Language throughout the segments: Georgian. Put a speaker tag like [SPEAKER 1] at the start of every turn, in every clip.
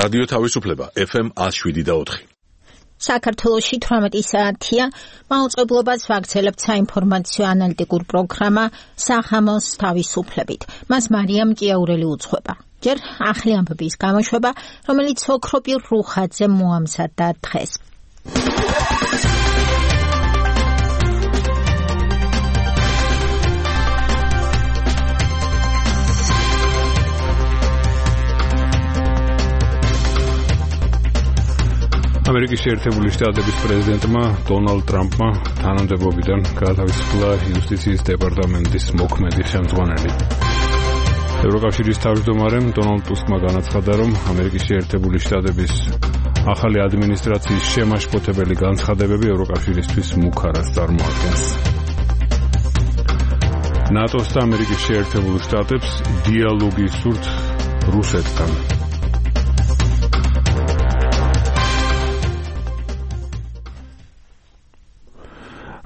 [SPEAKER 1] რადიო თავისუფლება FM 107.4.
[SPEAKER 2] საქართველოში 18 საათია. მაუწყებლობას ვაგრძელებთ საინფორმაციო ანალიტიკურ პროგრამა სახამოს თავისუფლებით. მას მარიამ ჭიაურელი უძღვება. ჯერ ახლი ამბების გამოშვება, რომელიც ოქროპირ რუხაძე მოამზადა დღეს.
[SPEAKER 3] ამერიკის შეერთებული შტატების პრეზიდენტმა დონალდ ტრამპმა თანამდებობიდან გაათავისუფლა იუსტიციის დეპარტამენტის მოქმედი ხელმძღვანელი. ევროკავშირის თავმჯდომარემ დონალდ ტუსკმა განაცხადა, რომ ამერიკის შეერთებული შტატების ახალი ადმინისტრაციის შემაშფოთებელი განცხადებები ევროკავშირისთვის მუქარას წარმოადგენს. ნატოს და ამერიკის შეერთებულ შტატებს დიალოგი სურთ რუსეთთან.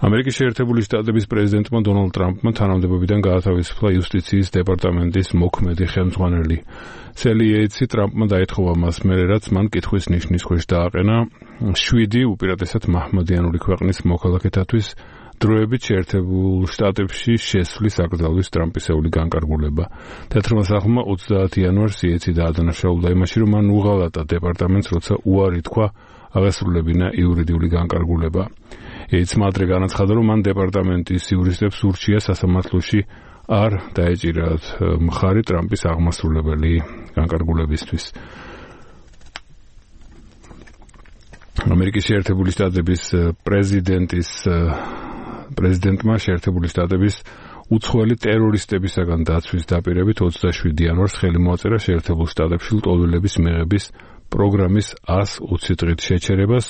[SPEAKER 3] ამერიკის შეერთებული შტატების პრეზიდენტმა დონალდ ტრამპმა თანამდებობიდან გაათავისუფლა იუსტიციის დეპარტამენტის მოქმედი ხელმძღვანელი. სელი იეიტსი ტრამპმა დაეთხოვა მას მერე, რაც მან კითხვის ნიშნის ქვეშ დააყენა 7 უპირატესად მაჰმადიანური ქვეყნის მოქალაქეთათვის დროებით შეერთებულ შტატებში შესვლის აკრძალვის ტრამპისეული განკარგულება. თეთრმა სახლმა 30 იანვარს იეიტსი დაადანაშაულა იმაში, რომ მან უღალატა დეპარტამენტს, როცა უარი თქვა აღესრულებინა იურიდიული განკარგულება. იეიტსმა ადრე განაცხადა, რომ მან დეპარტამენტის იურისტებს ურჩია სასამართლოში არ დაეჭირათ მხარი ტრამპის აღმასრულებელი განკარგულებისთვის. ამერიკის შეერთებული შტატების პრეზიდენტმა შეერთებული შტატების უცხოელი ტერორისტებისაგან დაცვის დაპირებით 27 იანვარს ხელი მოაწერა შეერთებულ შტატებში ლტოლვილების მიღების პროგრამის 120 დღით შეჩერებას.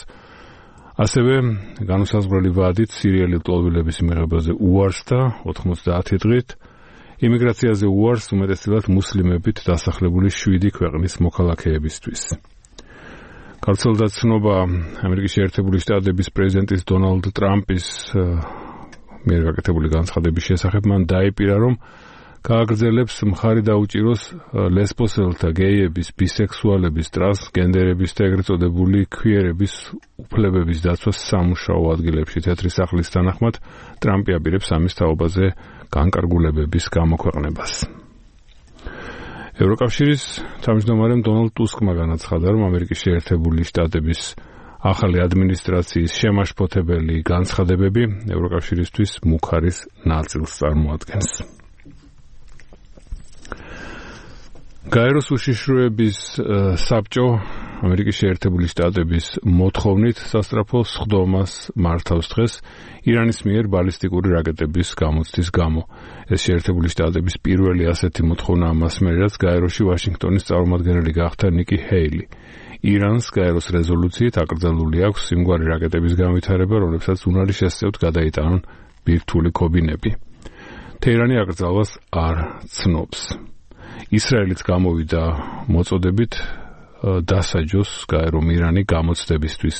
[SPEAKER 3] ასევე განუსაზღვრელი ვადით სირიელი ლტოლვილების მიღებაზე უარს და 90 დღით იმიგრაციაზე უარს უმეტესად მუსლიმებით დასახლებული 7 ქვეყნის მოქალაქეებისთვის. გავრცელდა ცნობა ამერიკის შეერთებული შტატების პრეზიდენტის დონალდ ტრამპის მიერ გაკეთებული განცხადების შესახებ. მან დაიპირა, რომ გააგრძელებს მხარი დაუჭიროს ლესბოსელთა, გეიების, ბისექსუალების, ტრანსგენდერების და ეგრეთ წოდებული ქვიერების უფლებების დაცვას სამუშაო ადგილებში. თეთრი სახლის თანახმად ტრამპი აპირებს ამის თაობაზე განკარგულებების გამოქვეყნებას. ევროკავშირის თავმჯდომარემ დონალდ ტუსკმა განაცხადა, რომ ამერიკის შეერთებული შტატების ახალი ადმინისტრაციის შემაშფოთებელი განცხადებები ევროკავშირისთვის მუქარის ნაწილს წარმოადგენს. გაეროს უშიშროების საბჭო ამერიკის შეერთებული შტატების მოთხოვნით სასწრაფო სხდომას მართავს დღეს ირანის მიერ ბალისტიკური რაკეტების გამოცდის გამო. ეს შეერთებული შტატების პირველი ასეთი მოთხოვნა მას მერე, რაც გაეროში ვაშინგტონის წარმომადგენელი გახდა ნიკი ჰეილი. ირანს გაეროს რეზოლუციით აკრძალული აქვს იმგვარი რაკეტების განვითარება, რომლებსაც უნარი შესწევთ გადაიტანონ ბირთვული ქობინები. თეირანი აკრძალვას არ ცნობს. ისრაელიც გამოვიდა მოწოდებით დასაჯოს გაერომ ირანი გამოცდებისთვის.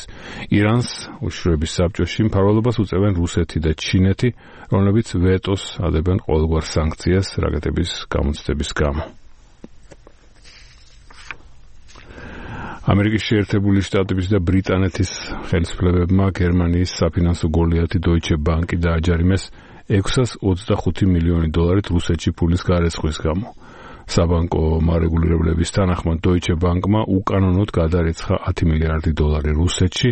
[SPEAKER 3] ირანს უშიშროების საბჭოში მფარველობას უწევენ რუსეთი და ჩინეთი, რომლებიც ვეტოს ადებენ ყოველგვარ სანქციას რაკეტების გამოცდების გამო. ამერიკის შეერთებული შტატების და ბრიტანეთის ხელისუფლებებმა გერმანიის საფინანსო გოლიათი Deutsche Bank-ი დააჯარიმეს $625 მილიონი რუსეთში ფულის გარეცხვის გამო. საბანკო მარეგულირებლების თანახმად Deutsche Bank-მა უკანონოდ გადარიცხა $10 მილიარდი რუსეთში,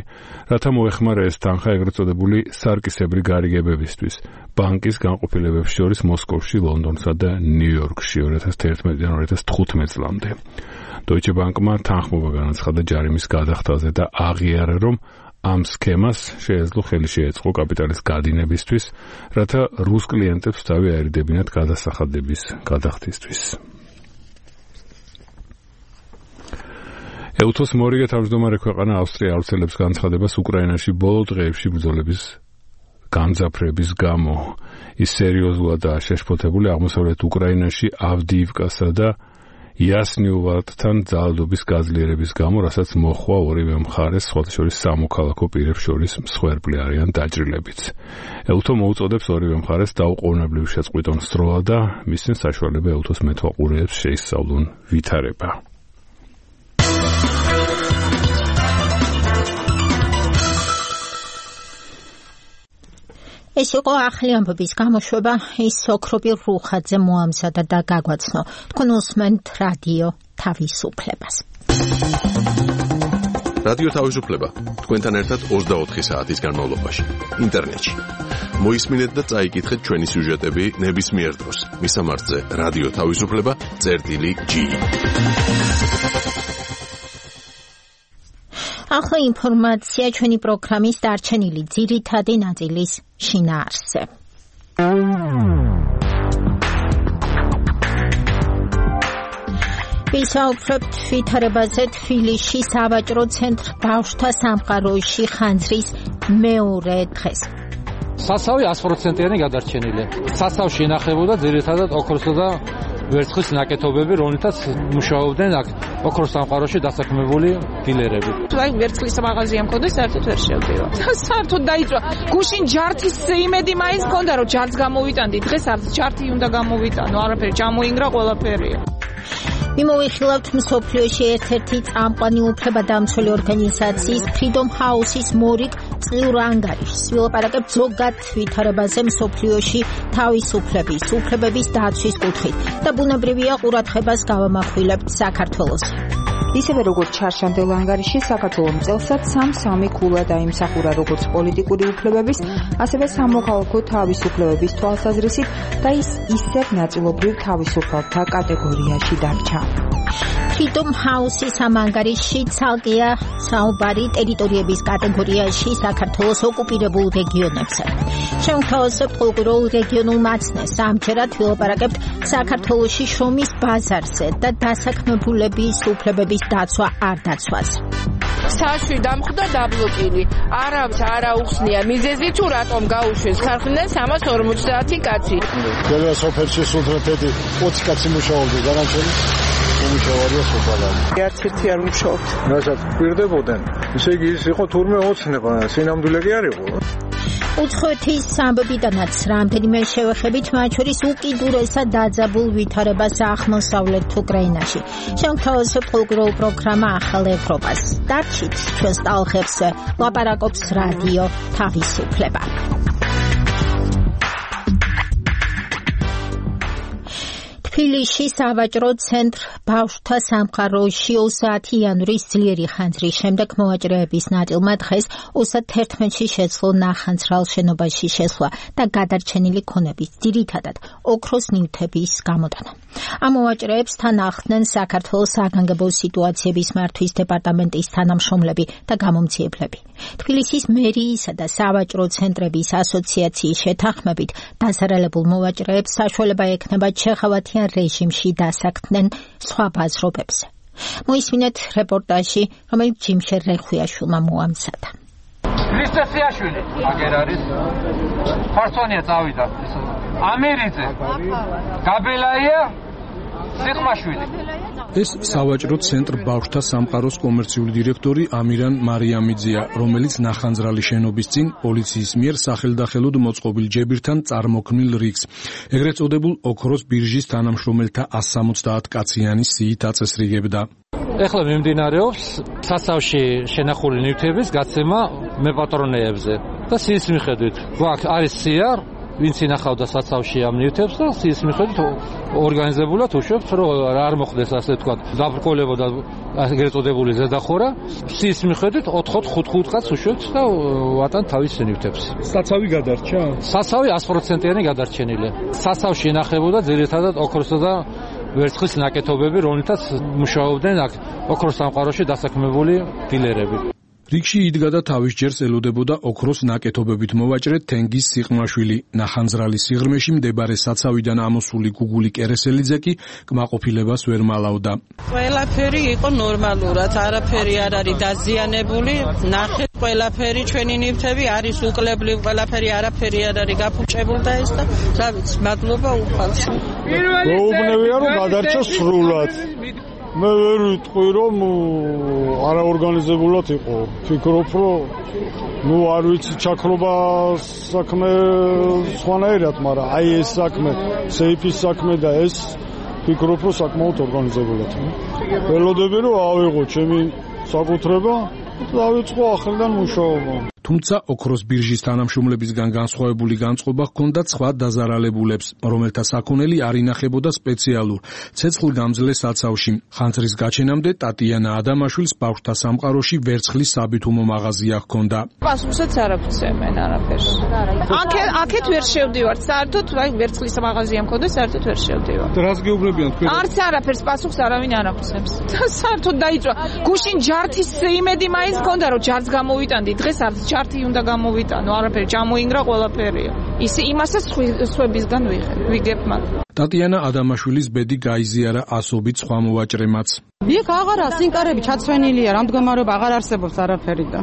[SPEAKER 3] რათა მოეხმარა ეს თანხა ეგრეთ წოდებული სარკისებრი გარიგებებისთვის ბანკის განყოფილებებს შორის მოსკოვში, ლონდონსა და ნიუ-იორკში 2011-დან 2015 წლამდე. Deutsche Bank-მა თანხმობა განაცხადა ჯარიმის გადახდაზე და აღიარა, რომ ამ სქემას შეეძლო ხელი შეეწყო კაპიტალის გადინებისთვის, რათა რუს კლიენტებს თავი აერიდებინათ გადასახადების გადახდისთვის. ეუთოს მორიგე თავმჯდომარე ქვეყანა ავსტრია ავრცელებს განცხადებას უკრაინაში ბოლო დღეებში ბრძოლების გამძაფრების გამო. ის სერიოზულადაა შეშფოთებული აღმოსავლეთ უკრაინაში ავდიივკასა და იასნიოვატთან ძალადობის გაძლიერების გამო, რასაც მოხვა ორივე მხარეს, სხვათა შორის სამოქალაქო პირებს შორის მსხვერპლი არიან დაჭრილებიც. ეუთო მოუწოდებს ორივე მხარეს დაუყოვნებლივ შეწყვიტონ სროლა და მისცენ საშუალება ეუთოს მეთვალყურეებს შეისწავლონ ვითარება.
[SPEAKER 2] ეს იყო ახლი ამბების გამოშვება, ის ოქროპირ რუხაძე მოამზადა და გაგვაცნო. თქვენ უსმენთ რადიო თავისუფლებას.
[SPEAKER 1] რადიო თავისუფლება თქვენთან ერთად 24 საათის განმავლობაში ინტერნეტში. მოისმინეთ და წაიკითხეთ ჩვენი სიუჟეტები ნებისმიერ დროს. მისამართზე რადიო თავისუფლება.g.
[SPEAKER 2] ახლა ინფორმაცია ჩვენი პროგრამის დარჩენილი ძირითადი ნაწილის შინაარსზე. ვისაუბრებთ ვითარებაზე თბილისში სავაჭრო ცენტრ ბავშვთა სამყაროში ხანძრის მეორე დღეს.
[SPEAKER 4] სასავი 100%-იანი გადარჩენილია. სასავში ინახებოდა ძირითადად ოქროსა და ვერცხლის ნაკეთობები, რომლითაც მუშაობდნენ აქ ოქროს სამყაროში დასაქმებული დილერები.
[SPEAKER 5] აი ვერცხლის მაღაზია მქონდა, საერთოდ ვერ შევდიო. საერთოდ დაიწვა. გუშინ ჯართის იმედი მაინც მქონდა, რომ ჯართს გამოვიტანდი. დღეს არც ჯართი უნდა გამოვიტანო, არაფერი ჩამოინგრა ყველაფერია.
[SPEAKER 2] მიმოვიხილავთ მსოფლიოში ერთ-ერთი წამყვანი უფლებადამცველი ორგანიზაციის Freedom House-ის მორიგ წლიურ ანგარიშს. ვილაპარაკებთ ზოგად ვითარებაზე მსოფლიოში თავისუფლების, უფლებების დაცვის კუთხით და ბუნებრივია ყურადღებას გავამახვილებთ საქართველოს.
[SPEAKER 6] ისევე როგორც ჩარშანდელ ანგარიში, საქართველოს წელსაც 3 ქულა დაიმსახურა როგორც პოლიტიკური უფლებების, ასევე სამოქალაქო თავისუფლებების თვალსაზრისით და ის ისევ ნაწილობრივ თავისუფალთა კატეგორიაში დარჩა.
[SPEAKER 2] Freedom House-ის ამ ანგარიშში ცალკეა საუბარი ტერიტორიების კატეგორიაში საქართველოს ოკუპირებულ რეგიონებზე. შევთავაზებთ ყოველდღიურ რეგიონულ მაცნეს. ამჯერად ვილაპარაკებთ საქართველოში შრომის ბაზარზე და დასაქმებულების უფლებების დაცვა არ დაცვას.
[SPEAKER 5] საშვი დამხვდა დაბლოკილი. არავის არ აუხსნია მიზეზი თუ რატომ გაუშვეს ქარხნიდან 350 კაცი.
[SPEAKER 7] ყველა სოფელში სულთნეთები 20 კაცი მუშაობდა, განაჩენი უმუშავარია სოფალარი.
[SPEAKER 5] არც ერთი არ მუშაობთ.
[SPEAKER 7] რასაც პირდებოდნენ, ისე იგი ის იყო თურმე ოცნება, სინამდვილე კი არ იყო.
[SPEAKER 2] უცხოეთის ამბებიდანაც რამდენიმე შევეხებით, მათ შორის უკიდურესად დაძაბულ ვითარებას აღმოსავლეთ უკრაინაში. შევთავაზებთ ყოველდღიურ პროგრამა ახალ ევროპას. დარჩით ჩვენს ტალღებზე, ლაპარაკობს რადიო თავისუფლება. თბილისში სავაჭრო ცენტრ ბავშვთა სამყაროში 30 იანვრის ძლიერი ხანძრის შემდეგ მოვაჭრეების ნაწილმა დღეს 31-ში შეძლო ნახანძრალ შენობაში შესვლა და გადარჩენილი ქონების ძირითადად ოქროს ნივთების გამოტანა. ამ მოვაჭრეებს თან ახლდნენ საქართველოს საგანგებო სიტუაციების მართვის დეპარტამენტის თანამშრომლები და გამომცემლები. თბილისის მერიისა და სავაჭრო ცენტრების ასოციაციის შეთანხმებით დასარალებულ მოვაჭრეებს საშუალება ექნება ჩეხავათიან რეჟიმში დასაქმდნენ სხვა ბაზრობებზე. მოისმინეთ რეპორტაჟი, რომელიც ჯიმშერ რეხვიაშვილმა მოამზადა.
[SPEAKER 4] ლისტესიაშვილი აგერ არის. ფარსონია წავიდა. ამირიძე. გაბელაია სიხმაშვილი.
[SPEAKER 8] ეს სავაჭრო ცენტრ ბავშვთა სამყაროს კომერციული დირექტორი ამირან მარიამიძეა, რომელიც ნახანძრალი შენობის წინ პოლიციის მიერ სახელდახელოდ მოწყობილ ჯებირთან წარმოქმნილ რიგს, ეგრეთ წოდებულ ოქროს ბირჟის თანამშრომელთა 170 კაციანი სიით აწესრიგებდა.
[SPEAKER 4] ეხლა მიმდინარეობს სასავში შენახული ნივთების გაცემა მეპატრონეებზე და სიის მიხედვით. გვაქვს არის სია, ვინც ინახავდა საცავში ამ ნივთებს და სიის მიხედვით ორგანიზებულად უშვებთ, რომ არ მოხდეს ასე თქვა დაბრკოლებო და ეგრეთ წოდებული ზედახურა. სიის მიხედვით 4-5 კაც უშვებთ და ვატან თავის ნივთებს.
[SPEAKER 8] საცავი გადარჩა?
[SPEAKER 4] სასავი 100%-იანი გადარჩენილია. სასავში ინახებოდა ძირითადად ოქროსა და ვერცხლის ნაკეთობები, რომლითაც მუშაობდნენ აქ ოქროს სამყაროში დასაქმებული დილერები.
[SPEAKER 8] რიგში იდგა და თავის ჯერს ელოდებოდა ოქროს ნაკეთობებით მოვაჭრე თენგიზ სიყმაშვილი. ნახანძრალი სიღრმეში მდებარე საცავიდან ამოსული გუგული კერესელიძე კი კმაყოფილებას ვერ მალავდა.
[SPEAKER 5] ყველაფერი იყო ნორმალურად, არაფერი არ არის დაზიანებული. ნახეთ, ყველაფერი ჩვენი ნივთები არის უკლებლივ, ყველაფერი არაფერი არ არის გაფუჭებული და ეს და რა ვიცი, მადლობა უფალს.
[SPEAKER 7] გაუბნევია რომ გადარჩა სრულად. მე ვერ ვიტყვი რომ არაორგანიზებულად იყო. ფიქრობ რომ არ ვიცი ჩაქრობა საქმე სხვანაირად, მაგრამ აი ეს საქმე, სეიფის საქმე და ეს ფიქრობ რომ საკმაოდ ორგანიზებულად. ველოდები რომ ავიღო ჩემი საკუთრება და დავიწყო ახლიდან მუშაობა.
[SPEAKER 8] თუმცა ოქროს ბირჟის თანამშრომლებისგან განსხვავებული განწყობა ჰქონდა სხვა დაზარალებულებს, რომელთა საქონელი არ ინახებოდა სპეციალურ ცეცხლგამძლე საცავში. ხანძრის გაჩენამდე ტატიანა ადამაშვილს ბავშვთა სამყაროში ვერცხლის საბითუმო მაღაზია ჰქონდა.
[SPEAKER 9] პასუხსაც არ აღწევენ არაფერს. აქეთ ვერ შევდივართ, საერთოდ ვერცხლის მაღაზია მქონდა, საერთოდ ვერ შევდივართ.
[SPEAKER 3] რას გეუბნებიან თქვენ?
[SPEAKER 9] არც არაფერს პასუხს არავინ არ აღწევს. საერთოდ დაიწვა. გუშინ ჯართის იმედი მაინც მქონდა, რომ ჯართს გამოვიტანდი. დღეს არც ჯართი უნდა გამოვიტანო, არაფერი ჩამოინგრა ყველაფერია. იმასაც სხვებისგან ვიგებ მათ.
[SPEAKER 8] ტატიანა ადამაშვილის ბედი გაიზიარა ასობით სხვა მოვაჭრემაც.
[SPEAKER 10] იქ აღარა სინკარები ჩაცვენილია, რამდგომარობა აღარ არსებობს არაფერი და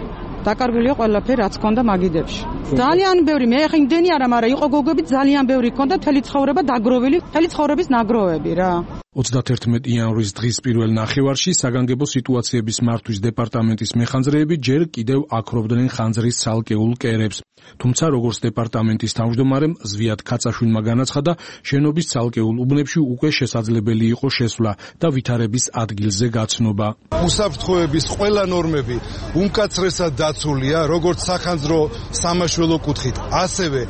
[SPEAKER 10] დაკარგულია ყველაფერი, რაც ჰქონდა მაგიდებში. ძალიან ბევრი, მე ხა იმდენი არა, მაგრამ იყო გოგები ძალიან ბევრი ჰქონდა, მთელი ცხოვრება დაგროვილი, მთელი ცხოვრების ნაგროვები რა.
[SPEAKER 8] 31 იანვრის დღის პირველ ნახევარში საგანგებო სიტუაციების მართვის დეპარტამენტის მეხანძრეები ჯერ კიდევ აქრობდნენ ხანძრის ცალკეულ კერებს. თუმცა როგორც დეპარტამენტის თავმჯდომარემ ზვიად ქაცაშვილმა განაცხადა, შენობის ცალკეულ უბნებში უკვე შესაძლებელი იყო შესვლა და ვითარების ადგილზე გაცნობა.
[SPEAKER 11] უსაფრთხოების ყველა ნორმები უმკაცრესად დაცულია, როგორც სახანძრო სამაშველო კუთხით, ასევე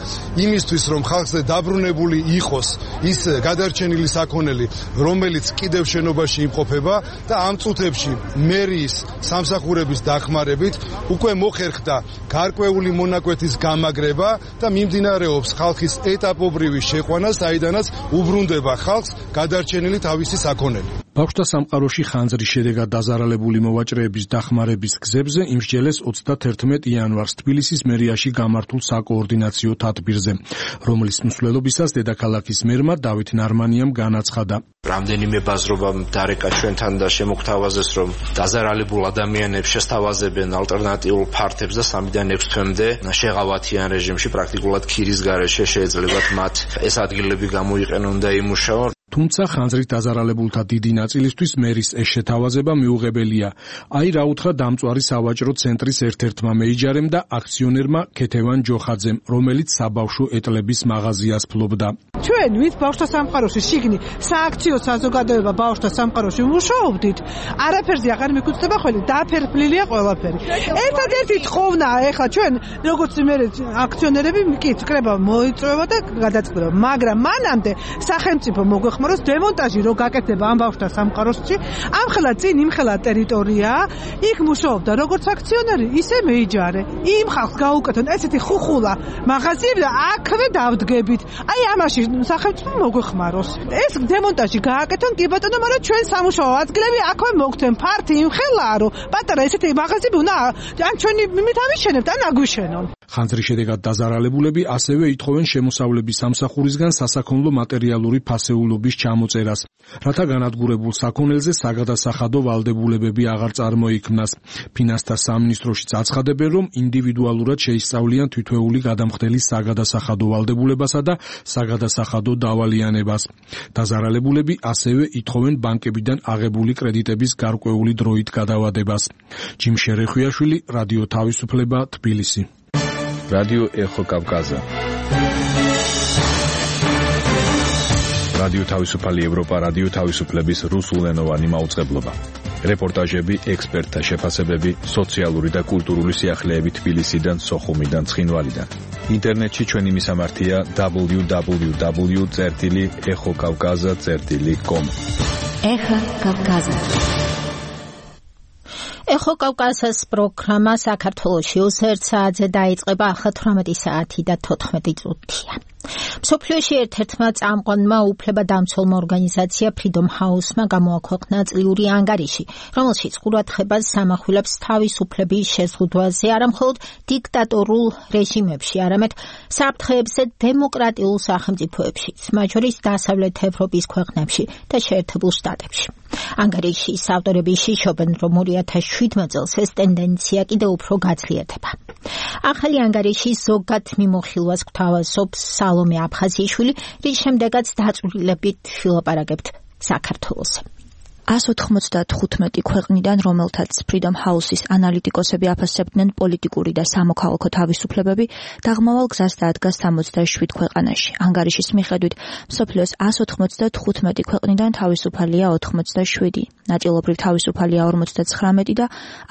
[SPEAKER 11] იმისთვის, რომ ხალხზე დაბრუნებული იყოს ის გადარჩენილი საქონელი, რომელიც კიდევ შენობაში იმყოფება და ამ წუთებში მერიის სამსახურების დახმარებით უკვე მოხერხდა გარკვეული მონაკვეთის გამაგრება და მიმდინარეობს ხალხის ეტაპობრივი შეყვანა, საიდანაც უბრუნდება ხალხს გადარჩენილი თავისი საქონელი.
[SPEAKER 8] ბავშვთა სამყაროში ხანძრის შედეგად დაზარალებული მოვაჭრეების დახმარების გზებზე იმსჯელეს 31 იანვარს თბილისის მერიაში გამართულ საკოორდინაციო თათბირზე, რომლის მსვლელობისას დედაქალაქის მერმა დავით ნარმანიამ განაცხადა.
[SPEAKER 12] რამდენიმე ბაზრობამ დარეკა ჩვენთან და შემოგთავაზეს, რომ დაზარალებულ ადამიანებს შესთავაზებენ ალტერნატიულ ფართებს და 3-დან 6 თვემდე შეღავათიან რეჟიმში, პრაქტიკულად ქირის გარეშე შეეძლებათ მათ ეს ადგილები გამოიყენონ და იმუშაონ.
[SPEAKER 8] თუმცა ხანძრით დაზარალებულთა დიდი ნაწილისთვის მერის ეს შეთავაზება მიუღებელია. აი რა უთხრა დამწვარი სავაჭრო ცენტრის ერთ-ერთმა მეიჯარემ და აქციონერმა ქეთევან ჯოხაძემ, რომელიც საბავშვო ეტლების მაღაზიას ფლობდა.
[SPEAKER 13] ჩვენ ვით ბავშვთა სამყაროში შიგნი სააქციო საზოგადოება ბავშვთა სამყაროში მუშაობდით, არაფერზე აღარ მიგუწდება ხოლმე, დაფერფლილია ყველაფერი. ერთადერთი თხოვნა ეხლა ჩვენ როგორც მე აქციონერები კი კრება მოიწვევა და გადაწყდება, მაგრამ მანამდე სახელმწიფო მოგვეხმაროს დემონტაჟი რო გაკეთდება ამ ბავშვთა სამყაროში, ამხელა წინ იმხელა ტერიტორია, იქ მუშაობდა როგორც აქციონერი, ისე მეიჯარე. იმ ხალხს გაუკეთონ ესეთი ხუხულა მაღაზიები და აქვე დავდგებით. აი ამაში სახელმწიფო მოგვეხმაროს. ეს დემონტაჟი გააკეთონ კი ბატონო, მაგრამ ჩვენ სამუშაო ადგილები აქვე მოგთენ. ფართი იმხელაა, რომ პატარა ესეთი მაღაზიები უნდა ან ჩვენი მიმით ამიშენებთ, ან აგვიშენონ.
[SPEAKER 8] ხანძრის შედეგად დაზარალებულები ასევე ითხოვენ შემოსავლების სამსახურისგან სასაქონლო მატერიალური ფასეულობის ჩამოწერას, რათა განადგურებულ საქონელზე საგადასახადო ვალდებულებები აღარ წარმოიქმნას. ფინანსთა სამინისტროშიც აცხადებენ, რომ ინდივიდუალურად შეისწავლიან თითოეული გადამხდელის საგადასახადო ვალდებულებასა და საგადასახადო დავალიანებას. დაზარალებულები ასევე ითხოვენ ბანკებიდან აღებული კრედიტების გარკვეული დროით გადავადებას. ჯიმ შერეხვიაშვილი, რადიო თავისუფლება, თბილისი.
[SPEAKER 14] რადიო ეხო კავკაზა. რადიო თავისუფალი ევროპა, რადიო თავისუფლების რუსულენოვანი მაუწყებლობა. რეპორტაჟები, ექსპერტთა შეფასებები, სოციალური და კულტურული სიახლეები თბილისიდან, სოხუმიდან, ცხინვალიდან. ინტერნეტში ჩვენი მისამართია www.exokavkaza.com.
[SPEAKER 2] ეხა კავკაზა. ეხო კავკაზას პროგრამა საქართველოში 21 საათზე დაიწყება, ახლა 18 საათი და 14 წუთია. მსოფლიოში ერთ-ერთმა წამყვანმა უფლებადამცველმა ორგანიზაცია Freedom House-მა გამოაქვეყნა წლიური ანგარიში, რომელშიც ყურადღებას სამახვილებს თავისუფლების შეზღუდვაზე არამხოლოდ დიქტატორულ რეჟიმებში, არამედ საფრთხეებზე დემოკრატიულ სახელმწიფოებშიც, მათ შორის დასავლეთ ევროპის ქვეყნებში და შეერთებულ შტატებში. ანგარიშის ავტორები შიშობენ, რომ 2017 წელს ეს ტენდენცია კიდევ უფრო გაძლიერდება. ახალი ანგარიშის ზოგად მიმოხილვას გვთავაზობს სალომე აფხაზიშვილი, რის შემდეგაც დაწვრილებით ვილაპარაკებთ საქართველოს.
[SPEAKER 15] 195 ქვეყნიდან, რომელთაც Freedom House-ის ანალიტიკოსები აფასებდნენ პოლიტიკური და სამოქალაქო თავისუფლებები, დაღმავალ გზას დაადგა 67 ქვეყანაში. ანგარიშის მიხედვით, მსოფლიოს 195 ქვეყნიდან თავისუფალია 87, ნაწილობრივ თავისუფალია 59 და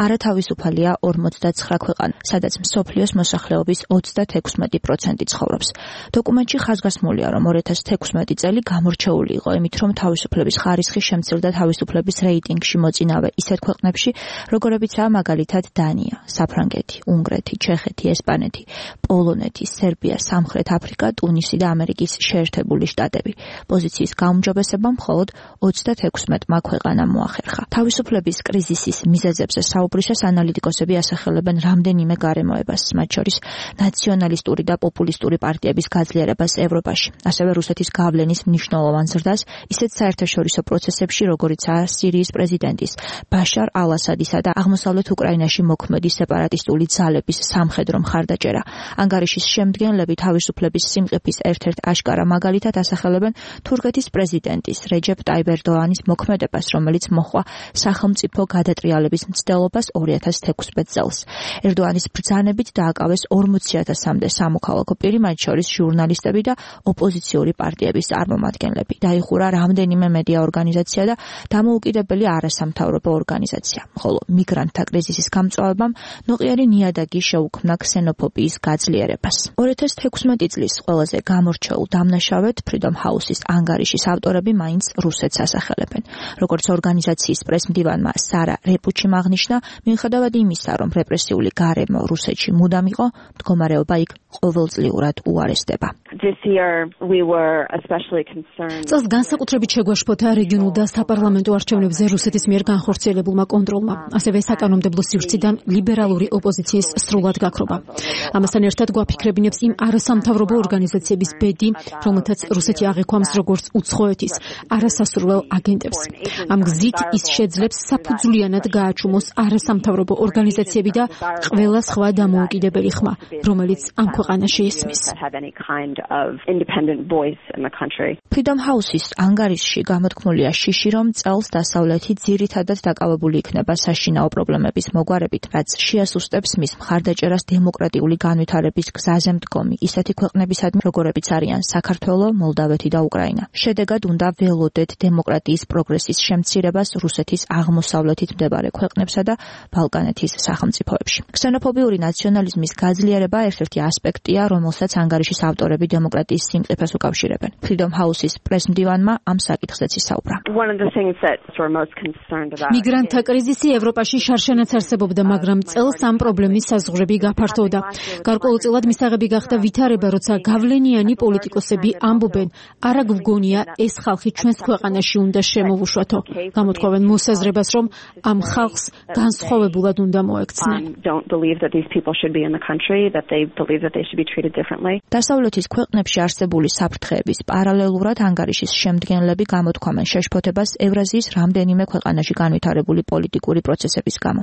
[SPEAKER 15] არათავისუფალია 49 ქვეყანა, სადაც მსოფლიოს მოსახლეობის 36% ცხოვრობს. დოკუმენტში ხაზგასმულია, რომ 2016 წელი გამორჩეული იყო იმით, რომ თავისუფლების ხარისხი შემცირდა თავისუფლების რეიტინგში მოწინავე ისეთ ქვეყნებში, როგორებიცაა მაგალითად დანია, საფრანგეთი, უნგრეთი, ჩეხეთი, ესპანეთი, პოლონეთი, სერბია, სამხრეთ აფრიკა, ტუნისი და ამერიკის შეერთებული შტატები. პოზიციის გაუმჯობესება მხოლოდ 36-მა ქვეყანამ მოახერხა. თავისუფლების კრიზისის მიზეზებზე საუბრისას ანალიტიკოსები ასახელებენ რამდენიმე გარემოებას, მათ შორის ნაციონალისტური და პოპულისტური პარტიების გაძლიერებას ევროპაში, ასევე რუსეთის გავლენის მნიშვნელოვან ზრდას ისეთ საერთაშორისო პროცესებში, როგორიცაა სირიის პრეზიდენტის ბაშარ ალ-ასადისა და აღმოსავლეთ უკრაინაში მოქმედი სეპარატისტული ძალების სამხედრო მხარდაჭერა. ანგარიშის შემდგენლები თავისუფლების სიმყიფის ერთ-ერთ აშკარა მაგალითად ასახელებენ თურქეთის პრეზიდენტის რეჯეპ ტაიპ ერდოანის მოქმედებას, რომელიც მოჰყვა სახელმწიფო გადატრიალების მცდელობას 2016 წელს. ერდოანის ბრძანებით დააკავეს 40,000-მდე სამოქალაქო პირი, მათ შორის ჟურნალისტები და ოპოზიციური პარტიების წარმომადგენლები. დაიხურა რამდენიმე მედია ორგანიზაცია და დამოუკიდებელი არასამთავრობო ორგანიზაცია, ხოლო მიგრანტთა კრიზისის გამწვავებამ ნოყიერი ნიადაგი შეუქმნა ქსენოფობიის გაძლიერებას. 2016 წლის ყველაზე გამორჩეულ დამნაშავედ Freedom House-ის ანგარიშის ავტორები მაინც რუსეთს ასახელებენ. როგორც ორგანიზაციის პრესმდივანმა სარა რეპუჩიმ აღნიშნა, მიუხედავად იმისა, რომ რეპრესიული გარემო რუსეთში მუდამ იყო, მდგომარეობა იქ ყოველწლიურად უარესდება.
[SPEAKER 16] წელს განსაკუთრებით შეგვაშფოთა რეგიონულ და საპარლამენტო არჩევნებზე რუსეთის მიერ განხორციელებულმა კონტროლმა, ასევე საკანონმდებლო სივრციდან ლიბერალური ოპოზიციის სრულად გაქრობა. ამასთან ერთად გვაფიქრებინებს იმ არასამთავრობო ორგანიზაციების ბედი, რომელთაც რუსეთი აღიქვამს როგორც უცხოეთის არასასურველ აგენტებს. ამ გზით ის შეძლებს საფუძვლიანად გააჩუმოს არასამთავრობო ორგანიზაციები და ყველა სხვა დამოუკიდებელი ხმა, რომელიც ამ ქვეყანაში ისმის.
[SPEAKER 15] Freedom House-ის ანგარიშში გამოთქმულია შიში, რომ წელს დასავლეთი ძირითადად დაკავებული იქნება საშინაო პრობლემების მოგვარებით, რაც შეასუსტებს მის მხარდაჭერას დემოკრატიული განვითარების გზაზე მდგომი ისეთი ქვეყნებისადმი, როგორებიც არიან საქართველო, მოლდავეთი და უკრაინა. შედეგად უნდა ველოდეთ დემოკრატიის პროგრესის შემცირებას რუსეთის აღმოსავლეთით მდებარე ქვეყნებსა და ბალკანეთის სახელმწიფოებში. ქსენოფობიური ნაციონალიზმის გაძლიერება ერთ-ერთი ასპექტია, რომელსაც ანგარიშის ავტორები დემოკრატიის სიმყიფეს უკავშირებენ. Freedom House-ის პრესმდივანმა ამ საკითხზეც ისაუბრა.
[SPEAKER 16] მიგრანტთა კრიზისი ევროპაში შარშანაც არსებობდა, მაგრამ წელს ამ პრობლემის საზღვრები გაფართოვდა. გარკვეულწილად მისაღები გახდა ვითარება, როცა გავლენიანი პოლიტიკოსები ამბობენ, არა გვგონია ეს ხალხი ჩვენს ქვეყანაში უნდა შემოვუშვათო. გამოთქვამენ მოსაზრებას, რომ ამ ხალხს განსხვავებულად უნდა მოექცნენ. დასავლეთის ქვეყნებში არსებული საფრთხეების პარალელურად ანგარიშის შემდგენლები გამოთქვამენ შეშფოთებას ევრაზიის რამდენიმე ქვეყანაში განვითარებული პოლიტიკური პროცესების გამო.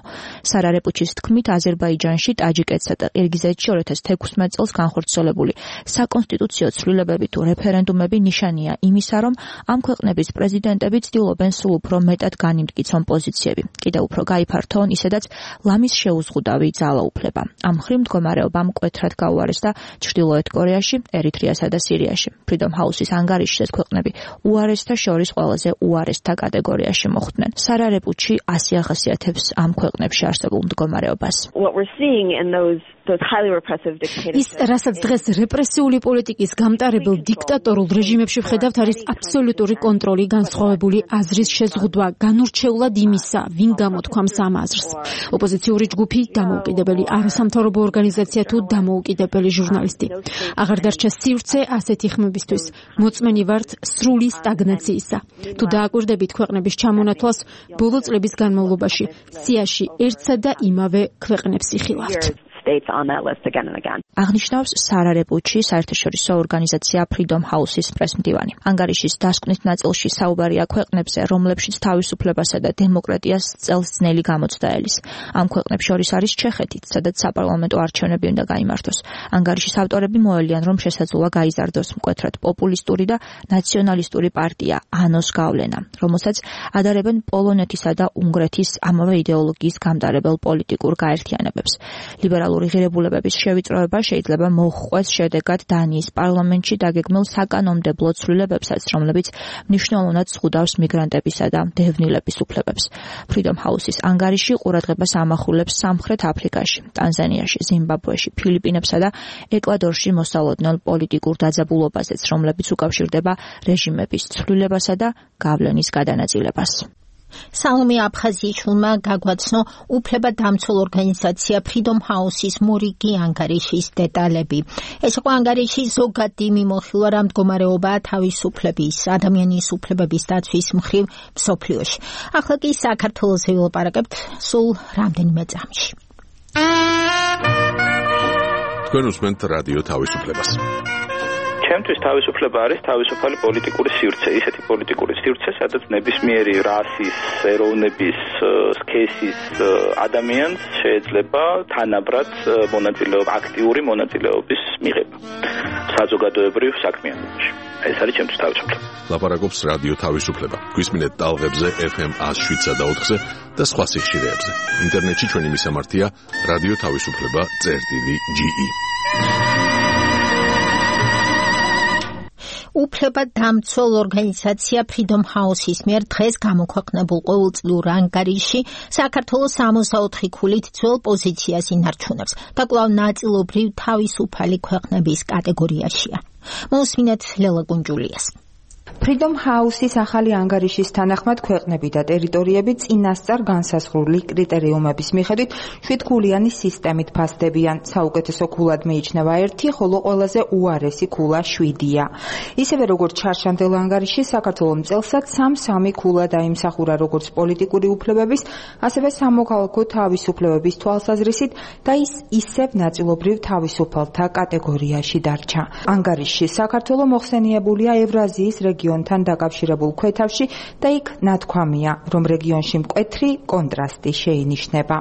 [SPEAKER 16] სარა რეპუჩის თქმით, აზერბაიჯანში, ტაჯიკეთსა და ყირგიზეთში 2016 წელს განხორციელებული საკონსტიტუციო ცვლილებები თუ რეფერენდუმები ნიშანია იმისა, რომ ამ ქვეყნების პრეზიდენტები ცდილობენ სულ უფრო მეტად განიმტკიცონ პოზიციები. კიდევ უფრო გაიფართოონ ისედაც ლამის შეუზღუდავი ძალაუფლება. ამ მხრივ მდგომარეობამ მკვეთრად გაუარესდა ჩრდილოეთ კორეაში, ერიტრეასა და სირიაში. Freedom House-ის ანგარიშის ქვეყნები უარესთა შორის ყველაზე უარესთა კატეგორიაში მოხვდნენ. სარა რეპუჩი ასე ახასიათებს ამ ქვეყნებში არსებულ მდგომარეობას. ის, რასაც დღეს რეპრესიული პოლიტიკის გამტარებელ დიქტატორულ რეჟიმებში ვხედავთ, არის აბსოლუტური კონტროლი, განსხვავებული აზრის შეზღუდვა, განურჩეულად იმისა, ვინ გამოთქვამს ამ აზრს. ოპოზიციური ჯგუფი, დამოუკიდებელი არასამთავრობო ორგანიზაცია თუ დამოუკიდებელი ჟურნალისტი. აღარ დარჩა სივრცე ასეთი ხმებისთვის. მოწმენი ვართ სრული სტაგნაციისა. თუ დააკვირდებით ქვეყნების ჩამონათვალს, ბოლო წლების განმავლობაში სიაში ერთსა და იმავე ქვეყნებს იხილავთ.
[SPEAKER 17] states on that list again and again.
[SPEAKER 15] აღნიშნავს სარა რეპუჩი, საერთაშორისო ორგანიზაცია Freedom House-ის პრესმდივანი. ანგარიშის დასკვნით ნაწილში საუბარია ქვეყნებზე, რომლებშიც თავისუფლებასა და დემოკრატიას წელს ძნელი გამოცდა ელის. ამ ქვეყნებს შორის არის ჩეხეთიც, სადაც საპარლამენტო არჩევნები უნდა გაიმართოს. ანგარიშის ავტორები მოელიან, რომ შესაძლოა გაიზარდოს მკვეთრად პოპულისტური და ნაციონალისტური პარტია ანოს გავლენა, რომელსაც ადარებენ პოლონეთისა და უნგრეთის ამავე იდეოლოგიის გამტარებელ პოლიტიკურ გაერთიანებებს. ლიბერალური ღირებულებების შევიწროება შეიძლება მოჰყვეს შედეგად დანიის პარლამენტში დაგეგმილ საკანონმდებლო ცვლილებებსაც, რომლებიც მნიშვნელოვნად ზღუდავს მიგრანტებისა და დევნილების უფლებებს. Freedom House-ის ანგარიში ყურადღებას ამახვილებს სამხრეთ აფრიკაში, ტანზანიაში, ზიმბაბვეში, ფილიპინებსა და ეკვადორში მოსალოდნელ პოლიტიკურ დაძაბულობაზეც, რომლებიც უკავშირდება რეჟიმების ცვლილებასა და გავლენის გადანაწილებას.
[SPEAKER 2] სალომე აფხაზიაშვილმა გაგვაცნო უფლებადამცველ ორგანიზაცია Freedom House-ის მორიგი ანგარიშის დეტალები. ეს იყო ანგარიში ზოგადი მიმოხილვა რა მდგომარეობაა თავისუფლების, ადამიანის უფლებების დაცვის მხრივ მსოფლიოში. ახლა კი საქართველოს ვილაპარაკებთ სულ რამდენიმე წამში.
[SPEAKER 1] თქვენ უსმენთ რადიო თავისუფლებას.
[SPEAKER 18] ჩემთვის თავისუფლება არის თავისუფალი პოლიტიკური სივრცე, ისეთი პოლიტიკური სივრცე, სადაც ნებისმიერი რასის, ეროვნების, სქესის ადამიანს შეიძლება თანაბრად აქტიური მონაწილეობის მიღება საზოგადოებრივ საქმიანობაში. ეს არის ჩემთვის თავისუფლება.
[SPEAKER 1] ლაპარაკობს რადიო თავისუფლება. გვისმინეთ ტალღებზე FM 107.4-ზე და სხვა სიხშირეებზე. ინტერნეტში ჩვენი მისამართია რადიო თავისუფლება.ge.
[SPEAKER 2] უფლებადამცველ ორგანიზაცია Freedom House-ის მიერ დღეს გამოქვეყნებულ ყოველწლიურ ანგარიში საქართველოს 64 ქულით ძველ პოზიციას ინარჩუნებს და კვლავ ნაწილობრივ თავისუფალი ქვეყნების კატეგორიაშია. მოусმინეთ ლელა კუნჯულიას.
[SPEAKER 6] Freedom House-ის ახალი ანგარიშის თანახმად ქვეყნები და ტერიტორიები წინასწარ განსაზღვრული კრიტერიუმების მიხედვით 7 ქულიანი სისტემით ფასდებიან. საუკეთესო ქულად მიიჩნევა 1, ხოლო ყველაზე უარესი ქულა 7-ია. ისევე როგორც ჩარშანდელ ანგარიში, საქართველოს მწელსაც 3 ქულა დაიმსახურა როგორც პოლიტიკური უფლებების, ასევე სამოქალაქო თავისუფლებების თვალსაზრისით და ის ისევ ნაწილობრივ თავისუფალთა კატეგორიაში დარჩა. ანგარიშში საქართველოს მოხსენიებულია ევრაზიის რეგიონთან დაკავშირებულ ქვეთავში და იქ ნათქვამია, რომ რეგიონში მკვეთრი კონტრასტი შეინიშნება.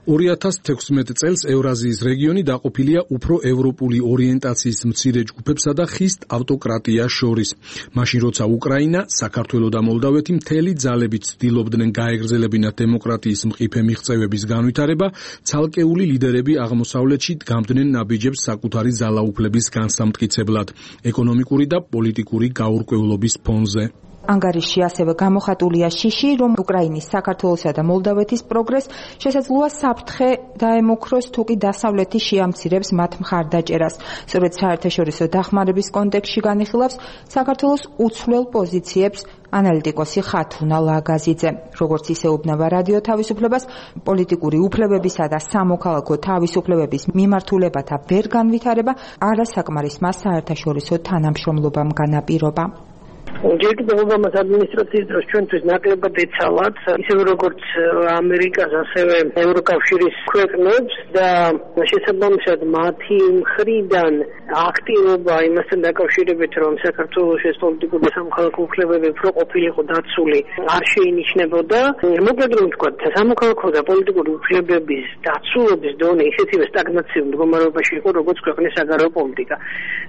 [SPEAKER 8] 2016 წელს ევრაზიის რეგიონი დაყოფილია უფრო ევროპული ორიენტაციის მცირე ჯგუფებსა და ხისტ ავტოკრატიას შორის. მაშინ როცა უკრაინა, საქართველო და მოლდავეთი მთელი ძალებით ცდილობდნენ გაეგრძელებინათ დემოკრატიის მყიფე მიღწევების განვითარება, ცალკეული ლიდერები აღმოსავლეთში დგამდნენ ნაბიჯებს საკუთარი ძალაუფლების განსამტკიცებლად, ეკონომიკური და პოლიტიკური გაურკვევლობის ფონზე.
[SPEAKER 6] ანგარიში ასევე გამოხატულია შიში, რომ უკრაინის, საქართველოსა და მოლდავეთის პროგრესს შესაძლოა საფრთხე დაემუქროს, თუ კი დასავლეთი შეამცირებს მათ მხარდაჭერას. სწორედ საერთაშორისო დახმარების კონტექსტში განიხილავს საქართველოს უცვლელ პოზიციებს ანალიტიკოსი ხათუნა ლაგაზიძე. როგორც ისეუბნება რადიო თავისუფლებას, პოლიტიკური უფლებებისა და სამოქალაქო თავისუფლებების მიმართულებათა ვერ განვითარება არასაკმარისმა საერთაშორისო თანამშრომლობამ განაპირობა.
[SPEAKER 19] ჯერ კიდევ ობამას ადმინისტრაციის დროს ჩვენთვის ნაკლებად ეცალათ, ისევე როგორც ამერიკას, ასევე ევროკავშირის ქვეყნებს და შესაბამისად მათი მხრიდან აქტივობა იმასთან დაკავშირებით, რომ საქართველოს ეს პოლიტიკური და სამოქალაქო უფლებები უფრო ყოფილიყო დაცული, არ შეინიშნებოდა. მოკლედ რომ ვთქვათ, სამოქალაქო და პოლიტიკური უფლებების დაცულობის დონე ისეთივე სტაგნაციურ მდგომარეობაში იყო, როგორც ქვეყნის საგარეო პოლიტიკა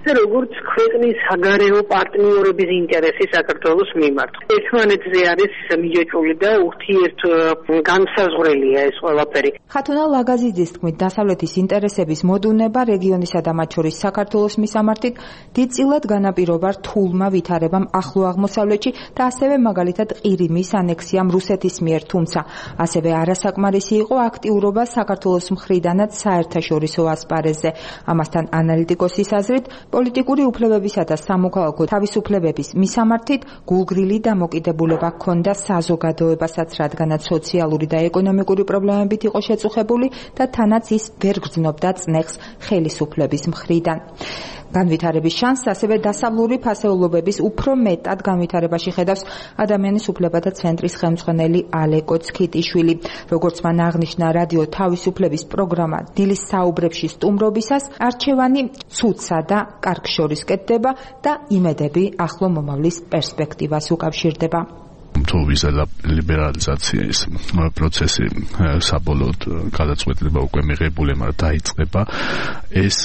[SPEAKER 19] და როგორც ქვეყნის საგარეო პარტნიორების ინტერესი საქართველოს მიმართ. ერთმანეთზე არის მიჯეჭვული და ურთიერთ განსაზღვრელია ეს ყველაფერი.
[SPEAKER 6] ხათუნა ლაგაზიძის თქმით, დასავლეთის ინტერესების მოდუნება რეგიონისა და მათ შორის საქართველოს მისამართით დიდწილად განაპირობა რთულმა ვითარებამ ახლო აღმოსავლეთში და ასევე მაგალითად ყირიმის ანექსიამ რუსეთის მიერ, თუმცა ასევე არასაკმარისი იყო აქტიურობა საქართველოს მხრიდანაც საერთაშორისო ასპარეზზე. ამასთან ანალიტიკოსის აზრით, პოლიტიკური უფლებებისა და სამოქალაქო თავისუფლებების მისამართით გულგრილი დამოკიდებულება ჰქონდა საზოგადოებასაც, რადგანაც სოციალური და ეკონომიკური პრობლემებით იყო შეწუხებული და თანაც ის ვერ გრძნობდა წნეხს ხელისუფლების მხრიდან. განვითარების შანსს ასევე დასავლური ფასეულობების უფრო მეტად განვითარებაში ხედავს ადამიანის უფლებათა ცენტრის ხელმძღვანელი ალეკო ცქიტიშვილი. როგორც მან აღნიშნა რადიო თავისუფლების პროგრამა დილის საუბრებში სტუმრობისას, არჩევანი ცუდსა და კარგს შორის კეთდება და იმედები ახლო მომავლის პერსპექტივას უკავშირდება.
[SPEAKER 20] თუ ვიზა ლიბერალიზაციის პროცესი საბოლოოდ გადაწყვეტილება უკვე მიღებული, მაგრამ დაიწყება, ეს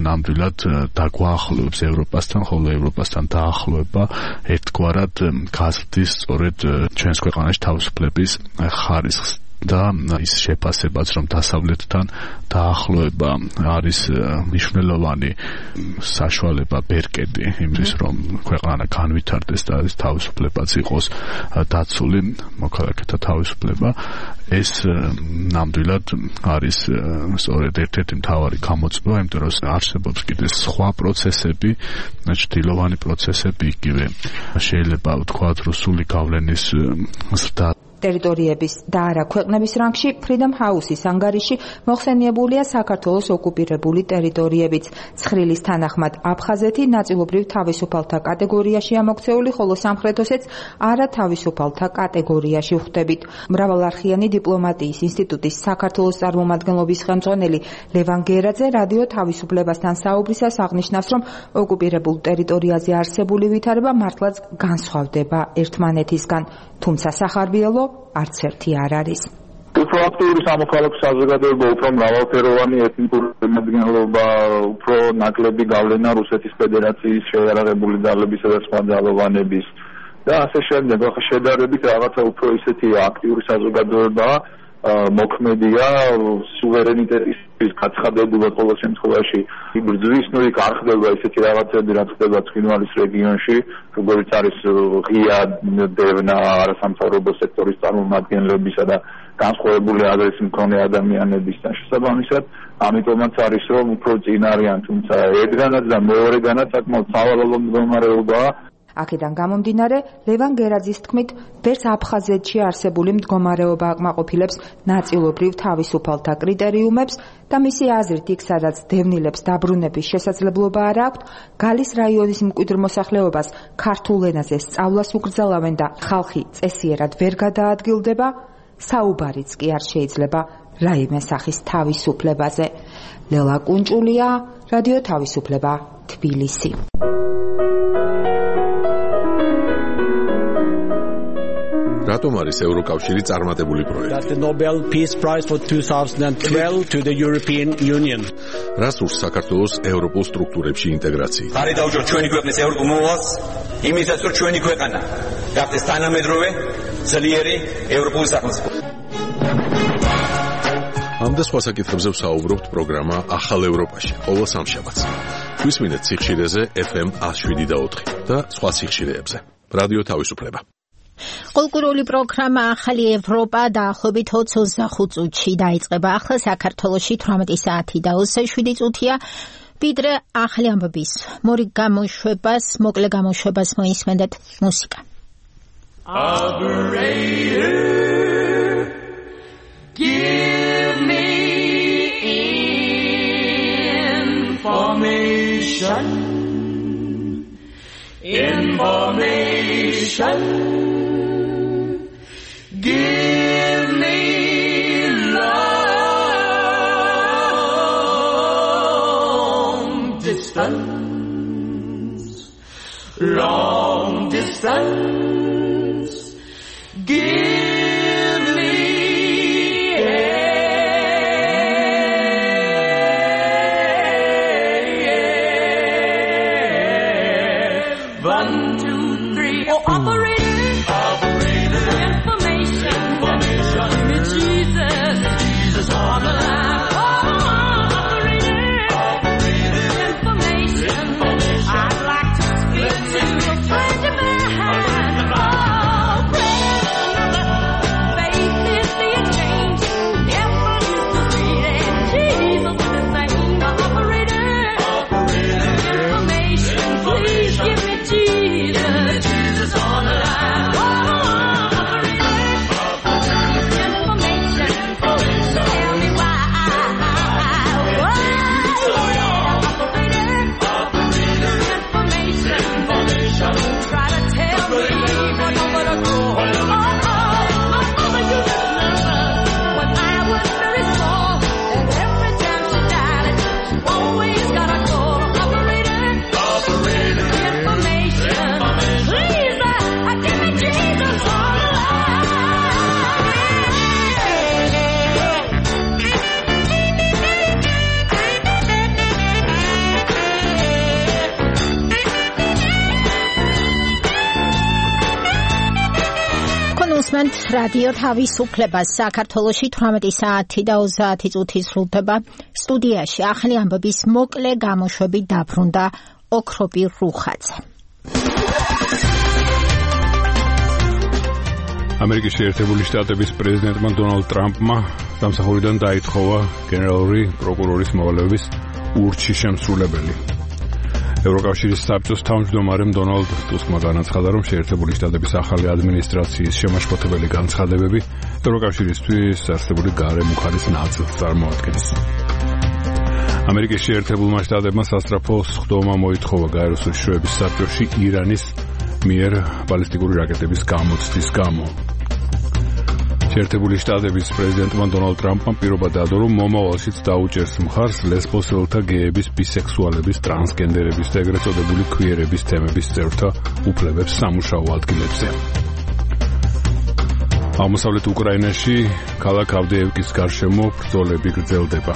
[SPEAKER 20] ნამდვილად დაგვაახლოებს ევროპასთან, ხოლო ევროპასთან დაახლოება ერთგვარად გაზრდის სწორედ ჩვენს ქვეყანაში თავისუფლების ხარისხს და ის შეფასებაც, რომ დასავლეთთან დაახლოება არის მნიშვნელოვანი საშუალება ბერკედი იმის, რომ ქვეყანა განვითარდეს და ეს თავისუფლებაც იყოს დაცული, მოქალაქეთა თავისუფლება, ეს ნამდვილად არის სწორედ ერთ-ერთი მთავარი გამოწვევა, იმიტომ რომ არსებობს კიდე სხვა პროცესები, ჭრილოვანი პროცესები, იგივე შეიძლება ვთქვათ რუსული გავლენის ზრდა
[SPEAKER 6] ტერიტორიების და არა ქვეყნების რანგში Freedom House-ის ანგარიში მოხსენიებულია საქართველოს ოკუპირებული ტერიტორიებიც. ცხრილის თანახმად აფხაზეთი ნაწილობრივ თავისუფალთა კატეგორიაშია მოქცეული, ხოლო სამხრეთ ოსეთს არათავისუფალთა კატეგორიაში ვხვდებით. მრავალარხიანი დიპლომატიის ინსტიტუტის საქართველოს წარმომადგენლობის ხელმძღვანელი ლევან გერაძე რადიო თავისუფლებასთან საუბრისას აღნიშნავს, რომ ოკუპირებულ ტერიტორიაზე არსებული ვითარება მართლაც განსხვავდება ერთმანეთისგან, თუმცა სახარბიელო არც ერთი არ არის.
[SPEAKER 21] უფრო აქტიური სამოქალაქო საზოგადოება, უფრო მრავალფეროვანი ეთნიკური შემადგენლობა, უფრო ნაკლები გავლენა რუსეთის ფედერაციის შეიარაღებული ძალებისა და სხვა ძალოვანების და ასე შემდეგ. ახლა შედარებით რაღაცა უფრო ისეთი აქტიური საზოგადოებაა, მოქმედია სუვერენიტეტის გაცხადებულად ყოველ შემთხვევაში ბრძვის ნუ იქ არ ხდება ისეთი რაღაცები, რაც ხდება ცხინვალის რეგიონში, როგორც არის ღია დევნა არასამთავრობო სექტორის წარმომადგენლებისა და განსხვავებული აზრის მქონე ადამიანებისთან შესაბამისად, ამიტომაც არის რომ უფრო წინ არიან, თუმცა ერთგანაც და მეორეგანაც საკმაოდ სავალალო მდგომარეობაა.
[SPEAKER 6] აქედან გამომდინარე, ლევან გერაძის თქმით, ვერც აფხაზეთში არსებული მდგომარეობა აკმაყოფილებს ნაწილობრივ თავისუფალთა კრიტერიუმებს და მისი აზრით იქ, სადაც დევნილებს დაბრუნების შესაძლებლობა არ აქვთ, გალის რაიონის მკვიდრ მოსახლეობას ქართულ ენაზე სწავლას უკრძალავენ და ხალხი წესიერად ვერ გადაადგილდება, საუბარიც კი არ შეიძლება რაიმე სახის თავისუფლებაზე. ლელა კუნჭულია, რადიო თავისუფლება, თბილისი.
[SPEAKER 1] რატომ არის ევროკავშირი წარმატებული პროექტი?
[SPEAKER 22] The Nobel Peace Prize for 2012 to the European Union.
[SPEAKER 1] რას ურს საქართველოს ევროპულ სტრუქტურებში ინტეგრაცია?
[SPEAKER 22] ხარი დაუჯეროთ ჩვენი ქვეყნის ევროპულ მოვალს, იმისაც რომ ჩვენი ქვეყანა გახდეს თანამედროვე, ძლიერი ევროპული სახელმწიფო.
[SPEAKER 1] ამ და სხვა საკითხებზე ვსაუბრობთ პროგრამა ახალ ევროპაში, ყოველ სამშაბათს. გვისმინეთ სიხშირეზე FM 107.4 და სხვა სიხშირეებზე. რადიო თავისუფლება.
[SPEAKER 2] კულტურული პროგრამა ახალი ევროპა დაახლოებით 25 წუთში დაიწყება. ახლა საქართველოში 18 საათი და 27 წუთია. ვიდრე ახალი ამბების მოკლე გამოშვებას მოისმენთ მუსიკა.
[SPEAKER 23] Operator, give me information. Give me long distance. Give me one, two, three. Oh, operator. Jesus on the line. Operator. Information. I'd like to speak to a friend of mine. Faith is the exchange. Never used to see it. Jesus is the same. Operator. Information. Please give me Jesus. Jesus on the line. Try to tell me for nowhere to go. Mama used to love her when I was very small, and every time she died, she always got a call. Operator, information. Please, give me Jesus all
[SPEAKER 2] უსმენთ რადიო თავისუფლებას. საქართველოში 18 საათი და 30 წუთი სრულდება. სტუდიაში ახალი ამბების მოკლე გამოშვებით დაბრუნდა ოქროპირ რუხაძე.
[SPEAKER 3] ამერიკის შეერთებული შტატების პრეზიდენტმა დონალდ ტრამპმა სამსახურიდან დაითხოვა გენერალური პროკურორის მოვალეობის ურჩი შემსრულებელი. ევროკავშირის საბჭოს თავმჯდომარემ დონალდ ტუსკმა განაცხადა, რომ შეერთებული შტატების ახალი ადმინისტრაციის შემაშფოთებელი განცხადებები ევროკავშირისთვის არსებული გარემოხარის ნაწილს წარმოადგენს. ამერიკის შეერთებულმა შტატებმა სასწრაფო სხდომა მოითხოვა გაეროს უშიშროების საბჭოში ირანის მიერ ბალისტიკური რაკეტების გამოცდის გამო. შეერთებული შტატების პრეზიდენტმა დონალდ ტრამპმა პირობა დადო, რომ მომავალშიც დაუჭერს მხარს ლესბოსელთა, გეების, ბისექსუალების, ტრანსგენდერების და ეგრეთ წოდებული ქვიერების თემების წევრთა უფლებებს სამუშაო ადგილებზე. აღმოსავლეთ უკრაინაში ქალაქ ავდეევკის გარშემო ბრძოლები გრძელდება.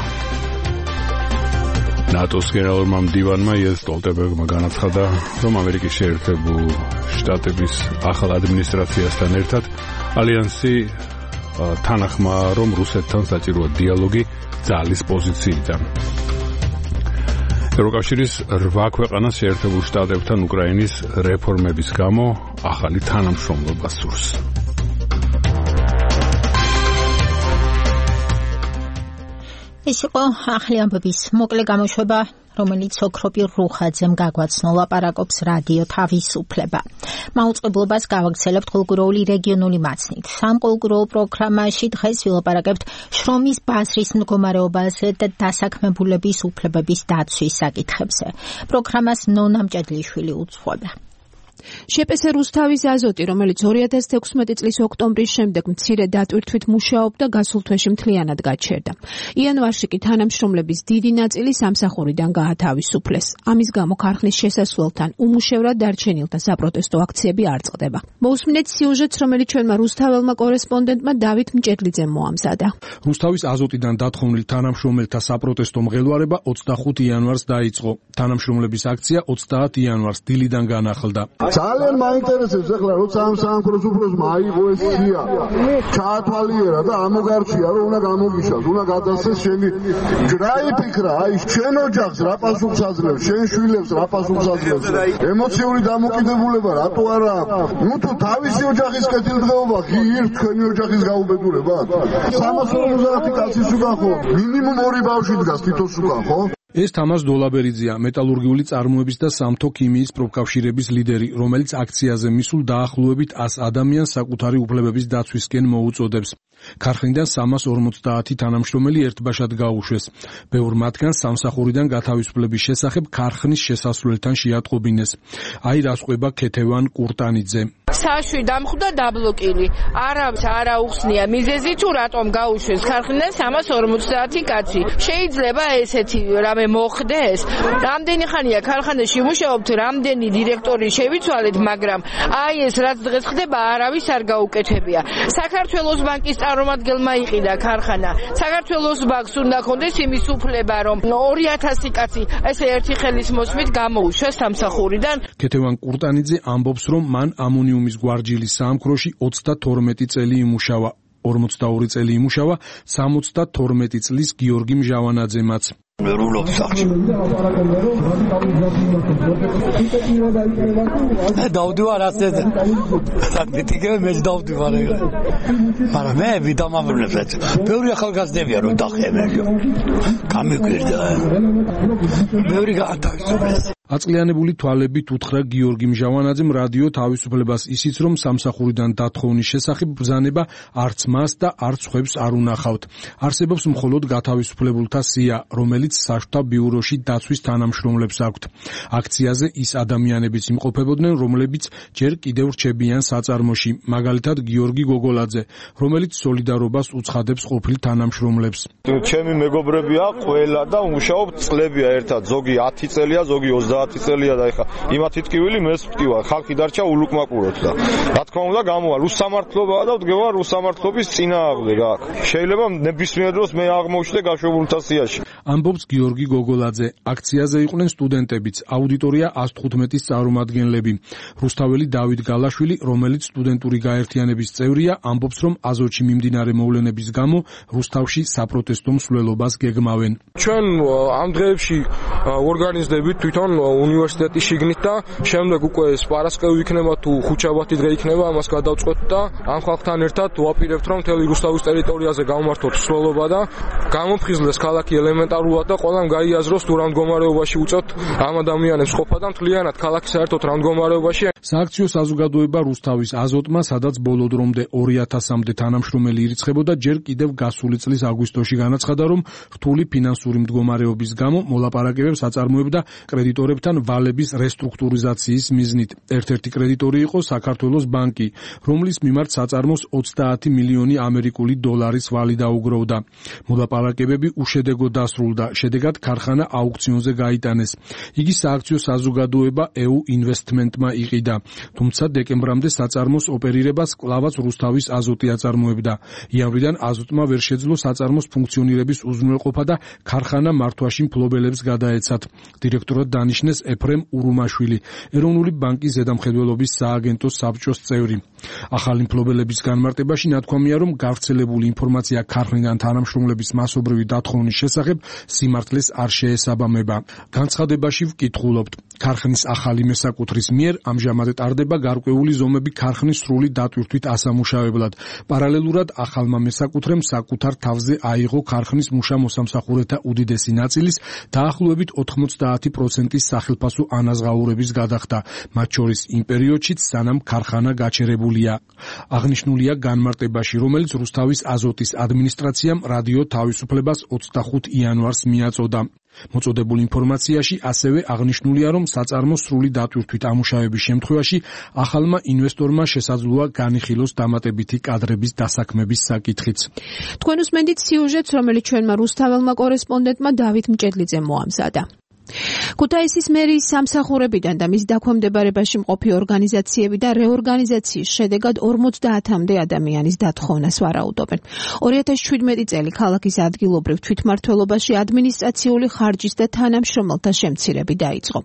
[SPEAKER 3] ნატოს გენერალურმა მდივანმა იენს სტოლტენბერგმა განაცხადა, რომ ამერიკის შეერთებულ შტატების ახალ ადმინისტრაციასთან ერთად ალიანსი თანახმაა, რომ რუსეთთან საჭიროა დიალოგი ძალის პოზიციიდან. ევროკავშირის 8 ქვეყანას შეერთებულ შტატებთან უკრაინის რეფორმების გამო ახალი თანამშრომლობა სურს.
[SPEAKER 2] ეს იყო ახალი ამბების მოკლე გამოშვება, რომელიც ოქროპირ რუხაძემ გაგვაცნო. ლაპარაკობს რადიო თავისუფლება. მაუწყებლობას გავაგრძელებთ ყოველკვირეული რეგიონული მაცნით. სამყოლკვირეულ პროგრამაში დღეს ვილაპარაკებთ შრომის ბაზრის მდგომარეობაზე და დასაქმებულების უფლებების დაცვის საკითხებზე. პროგრამას ნონა მჭედლიშვილი უძღვება.
[SPEAKER 4] შეპეს რუსთავის აზოტი, რომელიც 2016 წლის ოქტომბრის შემდეგ მცირე დატვირთვით მუშაობდა, გასულ თვეში მთლიანად გაჩერდა. იანვარში კი თანამშრომლების დიდი ნაწილი სამსახურიდან გაათავისუფლეს. ამის გამო ქარხნის შესასვლელთან უმუშევრად დარჩენილთა საპროტესტო აქციები არ წყდება. მოусმინეთ სიუჟეტს, რომელიც ჩვენმა რუსთაველმა კორესპონდენტმა დავით მჭედლიძემ მოამზადა.
[SPEAKER 8] რუსთავის აზოტიდან დათხოვნილ თანამშრომელთა საპროტესტო მღელვარება 25 იანვარს დაიწყო. თანამშრომლების აქცია 30 იანვარს დილიდან განახლდა.
[SPEAKER 5] ძალიან მაინტერესებს ახლა როცა ამ სამხედრო უფროსმა აიღო ეს სია ჩაათვალიერა და ამოგარჩია რომ უნდა გამოგიშალოს, უნდა გადასცეს შენი ჯრაიფიქრა, აი შენ ოჯახს რა პასუხს აძლევს, შენ შვილებს რა პასუხს აძლევს, ემოციური დამოკიდებულება რატო არა აქვს? ნუ თუ თავისი ოჯახის კეთილდღეობა ღირს თქვენი ოჯახის გაუბედურება 350 კაცის უკან ხო მინიმუმ 2 ბავშვი დგას თითოს უკან ხო?
[SPEAKER 8] ეს თამაზ დოლაბერიძეა, მეტალურგიული წარმოების და სამთო ქიმიის პროფკავშირების ლიდერი, რომელიც აქციაზე მისულ დაახლოებით 100 ადამიანს საკუთარი უფლებების დაცვისკენ მოუწოდებს. ქარხნიდან 350 თანამშრომელი ერთბაშად გაუშვეს. ბევრ მათგანს სამსახურიდან გათავისუფლების შესახებ ქარხნის შესასვლელთან შეატყობინეს. აი რას ყვება ქეთევან კურტანიძე.
[SPEAKER 7] საშვი დამხვდა დაბლოკილი. არავის არ აუხსნია მიზეზი თუ რატომ გაუშვეს ქარხნიდან 350 კაცი. შეიძლება ესეთი რამე მოხდეს? რამდენი ხანია ქარხანაში მუშაობთ, რამდენი დირექტორი შევიცვალეთ, მაგრამ აი ეს რაც დღეს ხდება, არავის არ გაუკეთებია. საქართველოს ბანკის წარმომადგენელმა იყიდა ქარხანა. საქართველოს ბანკს უნდა ქონდეს იმის უფლება, რომ 2000 კაცი ესე ერთი ხელის მოსმით გამოუშვეს სამსახურიდან.
[SPEAKER 8] ქეთევან კურტანიძე ამბობს, რომ მან ამონიუმის გვარჯილის საამქროში 32 წელი იმუშავა. 42 წელი იმუშავა 72 წლის გიორგი მჟავანაძემაც.
[SPEAKER 24] მერულობ სახში. დავდივარ ასე. საკრიტიკები მე დავდივარ ეგრე. მაგრამ მე ვიდამამრუნებს. ბევრი ახალგაზრდებია რომ დახევენ. გამიგვირდა. ბევრი გაათავისუფლეს.
[SPEAKER 8] აწლიანებული თვალებით უთხრა გიორგი მჟავანაძემ რადიო თავისუფლებას ისიც, რომ სამსახურიდან დათხოვნის შესახებ ბრძანება არც მას და არც სხვებს არ უნახავთ. არსებობს მხოლოდ გათავისუფლებულთა სია, რომელიც საშტო ბიუროში დაცვის თანამშრომლებს აქვთ. აქციაზე ის ადამიანებიც იმყოფებოდნენ, რომლებიც ჯერ კიდევ რჩებიან საწარმოში, მაგალითად გიორგი გოგოლაძე, რომელიც სოლიდარობას უცხადებს ყოფილ თანამშრომლებს.
[SPEAKER 9] ჩემი მეგობრებია ყველა და მუშაობ წლებია ერთად, ზოგი 10 წელია, ზოგი 30 წელია და ეხა იმათი ტკივილი მეც ვტკივა, ხალხი დარჩა ულუკმაკუროთ და რა თქმა უნდა გამოვა რუსსამართლობაა და ვდგება რუსსამართლობის წინააღმდეგ აქ. შეიძლება ნებისმიერ დროს მე აღმოჩნდე გაშვებულთა სიაში.
[SPEAKER 8] ამბობს გიორგი გოგოლაძე. აქციაზე იყვნენ სტუდენტებიც, აუდიტორია 115-ის წარმომადგენლები. რუსთაველი დავით გალაშვილი, რომელიც სტუდენტური გაერთიანების წევრია, ამბობს, რომ აზოტში მიმდინარე მოვლენების გამო რუსთავში საპროტესტო მსვლელობას გეგმავენ.
[SPEAKER 10] ჩვენ ამ დღეებში ორგანიზდებით თვითონ უნივერსიტეტის შიგნით და შემდეგ უკვე სპარასკევი იქნება თუ ხუთშაბათი დღე იქნება, ამას გადავწყვეტ და ამ ხალხთან ერთად ვაპირებთ, რომ მთელი რუსთავის ტერიტორიაზე გამართოთ მსვლელობა და გამოფხიზლდეს ქალაქი ელემენტარულად და ყველამ გაიაზროს თუ რა მდგომარეობაში უწევთ ამ ადამიანებს ყოფა და მთლიანად ქალაქი საერთოდ რა მდგომარეობაში.
[SPEAKER 8] სააქციო საზოგადოება რუსთავის აზოტმა, სადაც ბოლო დრომდე 2000-მდე თანამშრომელი ირიცხებოდა, ჯერ კიდევ გასული წლის აგვისტოში განაცხადა, რომ რთული ფინანსური მდგომარეობის გამო მოლაპარაკებებს აწარმოებდა კრედიტორებთან ვალების რესტრუქტურიზაციის მიზნით. ერთ-ერთი კრედიტორი იყო საქართველოს ბანკი, რომლის მიმართ საწარმოს 30 მილიონი ამერიკული დოლარის ვალი დაუგროვდა. მოლაპარაკებები უშედეგო დასრულდა, შედეგად ქარხანა აუქციონზე გაიტანეს. იგი სააქციო საზოგადოება EU ინვესტმენტმა იყიდა, თუმცა დეკემბრამდე საწარმოს ოპერირებას კვლავაც რუსთავის აზოტი აწარმოებდა. იანვრიდან აზოტმა ვერ შეძლო საწარმოს ფუნქციონირების უზრუნველყოფა და ქარხანა მართვაში მფლობელებს გადაეცათ. დირექტორად დანიშნეს ეფრემ ურუმაშვილი, ეროვნული ბანკის ზედამხედველობის სააგენტოს საბჭოს წევრი. ახალი მფლობელების განმარტებაში ნათქვამია, რომ გავრცელებული ინფორმაცია ქარხნიდან თანამშრომლების მასობრივი დათხოვნის შესახებ სიმართლეს არ შეესაბამება. განცხადებაში ვკითხულობთ, ქარხნის ახალი მესაკუთრის მიერ ამჟამად ტარდება გარკვეული ზომები ქარხნის სრული დატვირთვით ასამუშავებლად. პარალელურად ახალმა მესაკუთრემ საკუთარ თავზე აიღო ქარხნის მუშა-მოსამსახურეთა უდიდესი ნაწილის დაახლოებით 90%-ის სახელფასო ანაზღაურების გადახდა, მათ შორის იმ პერიოდშიც, სანამ ქარხანა გაჩერებულია. აღნიშნულია განმარტებაში, რომელიც რუსთავის აზოტის ადმინისტრაციამ რადიო თავისუფლებას 25 იანვარს მიაწოდა. მოწოდებულ ინფორმაციაში ასევე აღნიშნულია, რომ საწარმოს სრული დატვირთვით ამუშავების შემთხვევაში ახალმა ინვესტორმა შესაძლოა განიხილოს დამატებითი კადრების დასაქმების საკითხიც.
[SPEAKER 4] თქვენ უსმენთ სიუჟეტს, რომელიც ჩვენმა რუსთაველმა კორესპონდენტმა დავით მჭედლიძემ მოამზადა. ქუთაისის მერიის სამსახურებიდან და მის დაქვემდებარებაში მყოფი ორგანიზაციები და რეორგანიზაციის შედეგად 50-მდე ადამიანის დათხოვნას ვარაუდობენ. 2017 წელი ქალაქის ადგილობრივ თვითმმართველობაში ადმინისტრაციული ხარჯის და თანამშრომელთა შემცირები დაიწყო.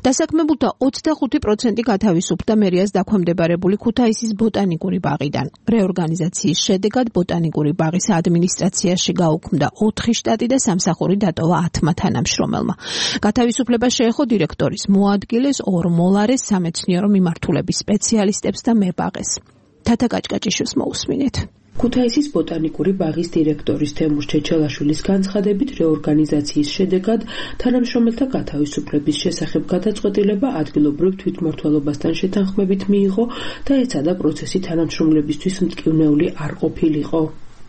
[SPEAKER 4] დასაქმებულთა 25% გათავისუფლდა მერიას დაქვემდებარებული ქუთაისის ბოტანიკური ბაღიდან. რეორგანიზაციის შედეგად ბოტანიკური ბაღის ადმინისტრაციაში გაუქმდა 4 შტატი და სამსახური დატოვა 10 თანამშრომელმა. გათავისუფლება შეეხო დირექტორის მოადგილეს, 2 მოლარეს, სამეცნიერო მიმართულების სპეციალისტებს და მებაღეს. თათა კაჭკაჭიშვილს მოусმინეთ.
[SPEAKER 11] ქუთაისის ბოტანიკური ბაღის დირექტორის თემურ ჩეჩელაშვილის განცხადებით, რეორგანიზაციის შედეგად თანამშრომელთა გათავისუფლების შესახებ გადაწყვეტილება ადგილობრივ თვითმმართველობასთან შეთანხმებით მიიღო და ეცადა პროცესი თანამშრომლებისთვის მტკივნეული არ ყოფილიყო.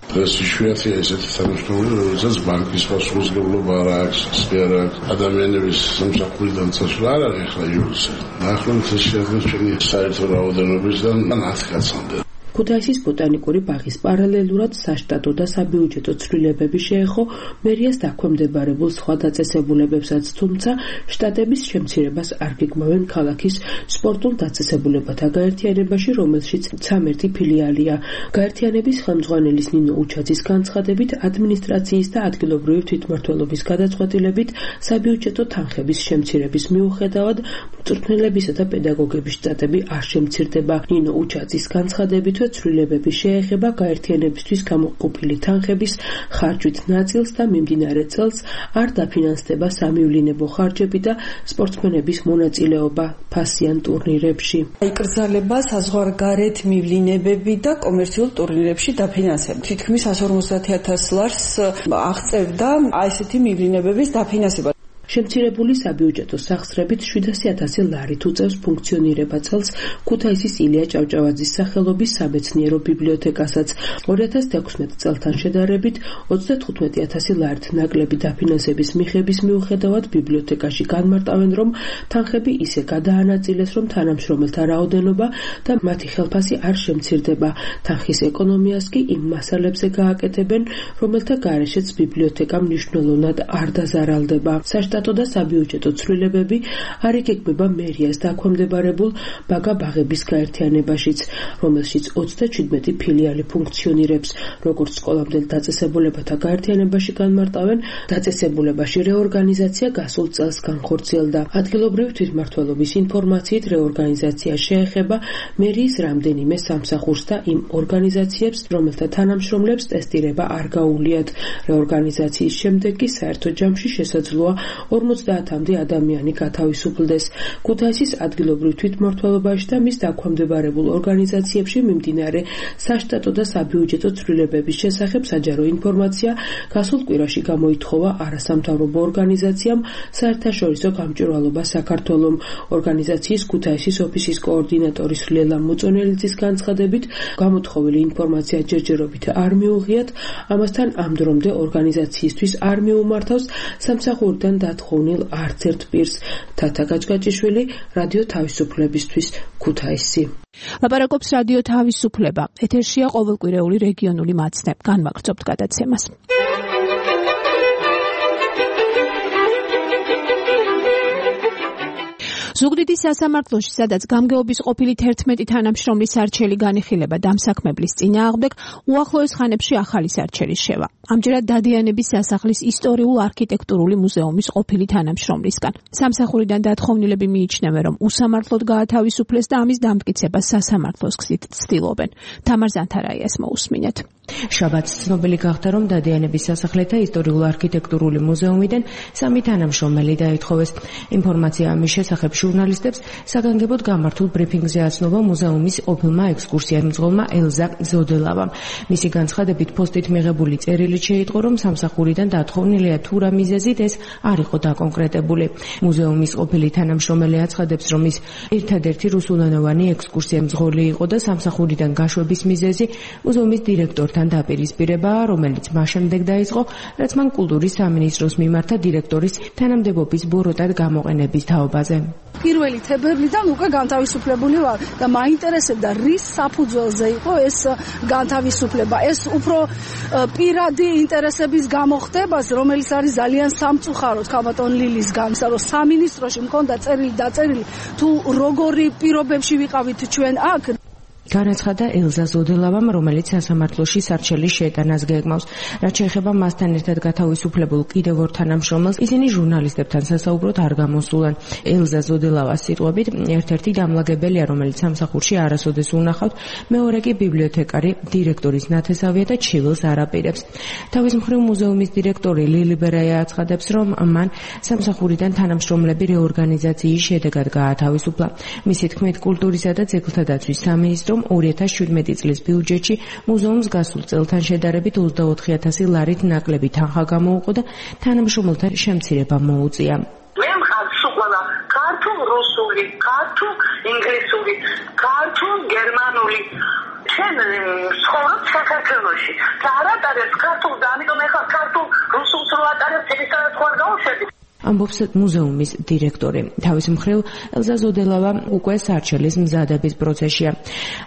[SPEAKER 5] ეს იშვიათია ესეთი თანამშრომლები, რომელსაც ბანკის პასუხისმგებლობა არ აქვს, არ აქვს ადამიანების სამსახურიდან წასვლა არ არის ახლა იურისზე. დაახლოებით ეს შეადგენს ჩვენი საერთო რაოდენობისგან 10 კაცამდე.
[SPEAKER 11] ქუთაისის ბოტანიკური ბაღის პარალელურად საშტატო და საბიუჯეტო ცვლილებები შეეხო მერიას დაქვემდებარებულ სხვა დაწესებულებებსაც, თუმცა შტატების შემცირებას არ გეგმავენ ქალაქის სპორტულ დაწესებულებათა გაერთიანებაში, რომელშიც 13 ფილიალია. გაერთიანების ხელმძღვანელის ნინო უჩაძის განცხადებით, ადმინისტრაციის და ადგილობრივი თვითმმართველობის გადაწყვეტილებით საბიუჯეტო თანხების შემცირების მიუხედავად მწვრთნელებისა და პედაგოგების შტატები არ შემცირდება. ნინო უჩაძის განცხადებით, ცვლილებები შეეხება გაერთიანებისთვის გამოყოფილი თანხების ხარჯვით ნაწილს და მიმდინარე წელს არ დაფინანსდება სამივლინებო ხარჯები და სპორტსმენების მონაწილეობა ფასიან ტურნირებში.
[SPEAKER 12] იკრძალება საზღვარგარეთ მივლინებები და კომერციულ ტურნირებში დაფინანსება. თითქმის 150,000 ლარს აღწევდა ესეთი მივლინებების დაფინანსება.
[SPEAKER 11] შემცირებული საბიუჯეტო სახსრებით 700,000 ლარით უწევს ფუნქციონირება წელს ქუთაისის ილია ჭავჭავაძის სახელობის სამეცნიერო ბიბლიოთეკასაც. 2016 წელთან შედარებით 35,000 ლარით ნაკლები დაფინანსების მიღების მიუხედავად ბიბლიოთეკაში განმარტავენ, რომ თანხები ისე გადაანაწილეს, რომ თანამშრომელთა რაოდენობა და მათი ხელფასი არ შემცირდება. თანხის ეკონომიას კი იმ მასალებზე გააკეთებენ, რომელთა გარეშეც ბიბლიოთეკა მნიშვნელოვნად არ დაზარალდება. საშტატო და საბიუჯეტო ცვლილებები არ იგეგმება მერიას დაქვემდებარებულ ბაგა ბაღების გაერთიანებაშიც, რომელშიც 27 ფილიალი ფუნქციონირებს. როგორც სკოლამდელ დაწესებულებათა გაერთიანებაში განმარტავენ, დაწესებულებაში რეორგანიზაცია გასულ წელს განხორციელდა. ადგილობრივი თვითმმართველობის ინფორმაციით რეორგანიზაცია შეეხება მერიის რამდენიმე სამსახურს და იმ ორგანიზაციებს, რომელთა თანამშრომლებს ტესტირება არ გაუვლიათ. რეორგანიზაციის შემდეგ კი საერთო ჯამში შესაძლოა 50-მდე ადამიანი გათავისუფლდეს. ქუთაისის ადგილობრივ თვითმმართველობაში და მის დაქვემდებარებულ ორგანიზაციებში მიმდინარე საშტატო და საბიუჯეტო ცვლილებების შესახებ საჯარო ინფორმაცია გასულ კვირაში გამოითხოვა არასამთავრობო ორგანიზაციამ საერთაშორისო გამჭვირვალობა საქართველომ. ორგანიზაციის ქუთაისის ოფისის კოორდინატორის ლელა მოწონელიძის განცხადებით, გამოთხოვილი ინფორმაცია ჯერჯერობით არ მიუღიათ, ამასთან ამ დრომდე ორგანიზაციისთვის არ მიუმართავს სამსახურიდან დათხოვნილ არც ერთ პირს. თათა გაჭგაჭიშვილი, რადიო თავისუფლებისთვის, ქუთაისი.
[SPEAKER 4] ლაპარაკობს რადიო თავისუფლება. ეთერშია ყოველკვირეული რეგიონული მაცნე. განვაგრძობთ გადაცემას. ზუგდიდის სასამართლოში, სადაც გამგეობის ყოფილი 11 თანამშრომლის არჩელი განიხილება დამსაქმებლის წინააღმდეგ, უახლოეს ხანებში ახალი არჩელი შევა. ამჯერად დადიანების სასახლის ისტორიულ-არქიტექტურული მუზეუმის ყოფილი თანამშრომლისგან. სამსახურიდან დათხოვნილები მიიჩნევენ, რომ უსამართლოდ გაათავისუფლეს და ამის დამტკიცებას სასამართლოს გზით ცდილობენ. თამარ ზანთარაიას მოусმინეთ.
[SPEAKER 13] შაბათს ცნობილი გახდა, რომ დადიანების სასახლეთა ისტორიულ-არქიტექტურული მუზეუმიდან 3 თანამშრომელი დაითხოვეს. ინფორმაცია ამის შესახებ ჟურნალისტებს საგანგებოდ გამართულ ბრიფინგზე აცნობა მუზეუმის ყოფილმა ექსკურსიარმძღოლმა ელზა ზოდელავამ. მისი განცხადებით, პოსტით მიღებული წერილით შეიტყო, რომ სამსახურიდან დათხოვნილია თუ რა მიზეზით ეს არ იყო დაკონკრეტებული. მუზეუმის ყოფილი თანამშრომელი აცხადებს, რომ ის ერთადერთი რუსულენოვანი ექსკურსიარმძღოლი იყო და სამსახურიდან გაშვების მიზეზი მუზეუმის დირექტორთან დაპირისპირებაა, რომელიც მას შემდეგ დაიწყო, რაც მან კულტურის სამინისტროს მიმართა დირექტორის თანამდებობის ბოროტად გამოყენების თაობაზე.
[SPEAKER 14] 1 თებერვლიდან უკვე განთავისუფლებული ვარ და მაინტერესებდა რის საფუძველზე იყო ეს განთავისუფლება. ეს უფრო პირადი ინტერესების გამო ხდებას, რომელიც არის ძალიან სამწუხაროდ ქალბატონ ლილისგან, რომ სამინისტროში მქონდა წერილი დაწერილი თუ როგორი პირობებში ვიყავით ჩვენ აქ.
[SPEAKER 13] განაცხადა ელზა ზოდელავამ, რომელიც სასამართლოში სარჩელის შეტანას გეგმავს. რაც შეეხება მასთან ერთად გათავისუფლებულ კიდევ 2 თანამშრომელს, ისინი ჟურნალისტებთან სასაუბროდ არ გამოსულან. ელზა ზოდელავას სიტყვებით, ერთ-ერთი დამლაგებელია, რომელიც სამსახურში არასოდეს უნახავთ, მეორე კი ბიბლიოთეკარი, დირექტორის ნათესავია და ჩივილს არ აპირებს. თავის მხრივ მუზეუმის დირექტორი ლილი ბერაია აცხადებს, რომ მან სამსახურიდან თანამშრომლები რეორგანიზაციის შედეგად გაათავისუფლა. მისი თქმით, კულტურისა და ძეგლთა დაცვის სამინისტრომ 2017 წლის ბიუჯეტში მუზეუმს გასულ წელთან შედარებით 24,000 ლარით ნაკლები თანხა გამოუყო და თანამშრომელთა შემცირება მოუწია.
[SPEAKER 16] მე მხარს უყოლა ქართულ რუსული, ქართულ ინგლისური, ქართულ გერმანული. ჩვენ ცხოვრობ საქართველოში. და არ ატარებს ქართულ და ამიტომ ეხლა ქართულ რუსულს რო ატარებს, ისედაც ხარ გავუშვები.
[SPEAKER 13] ამბობს მუზეუმის დირექტორი. თავის მხრივ ელზა ზოდელავა უკვე სარჩელის მზადების პროცესშია.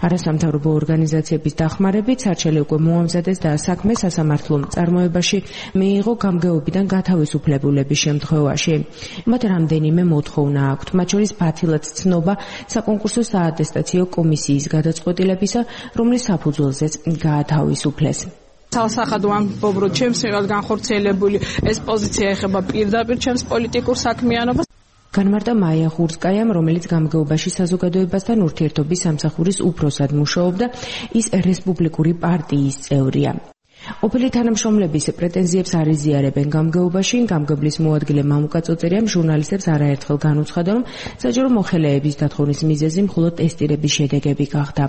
[SPEAKER 13] არასამთავრობო ორგანიზაციების დახმარებით სარჩელი უკვე მოამზადეს და საქმე სასამართლო წარმოებაში მიიღო გამგეობიდან გათავისუფლებულების შემთხვევაში. მათ რამდენიმე მოთხოვნა აქვთ, მათ შორის ფათილად ცნობა საკონკურსო საატესტაციო კომისიის გადაწყვეტილებისა, რომლის საფუძველზეც გაათავისუფლეს.
[SPEAKER 17] Salsaxad ვამბობ, რომ ჩემს მიერ განხორციელებული ეს პოზიცია ეხება პირდაპირ ჩემს პოლიტიკურ საქმიანობას.
[SPEAKER 13] განმარტა მაია ხურსკაიამ, რომელიც გამგეობაში საზოგადოებასთან ურთიერთობის სამსახურის უფროსად მუშაობდა, ის რესპუბლიკური პარტიის წევრია. ყოფილი თანამშრომლების პრეტენზიებს არ იზიარებენ გამგეობაში. გამგებლის მოადგილე მამუკა წოწერიამ ჟურნალისტებს არაერთხელ განუცხადა, რომ საჯარო მოხელეების დათხოვნის მიზეზი მხოლოდ ტესტირების შედეგები გახდა.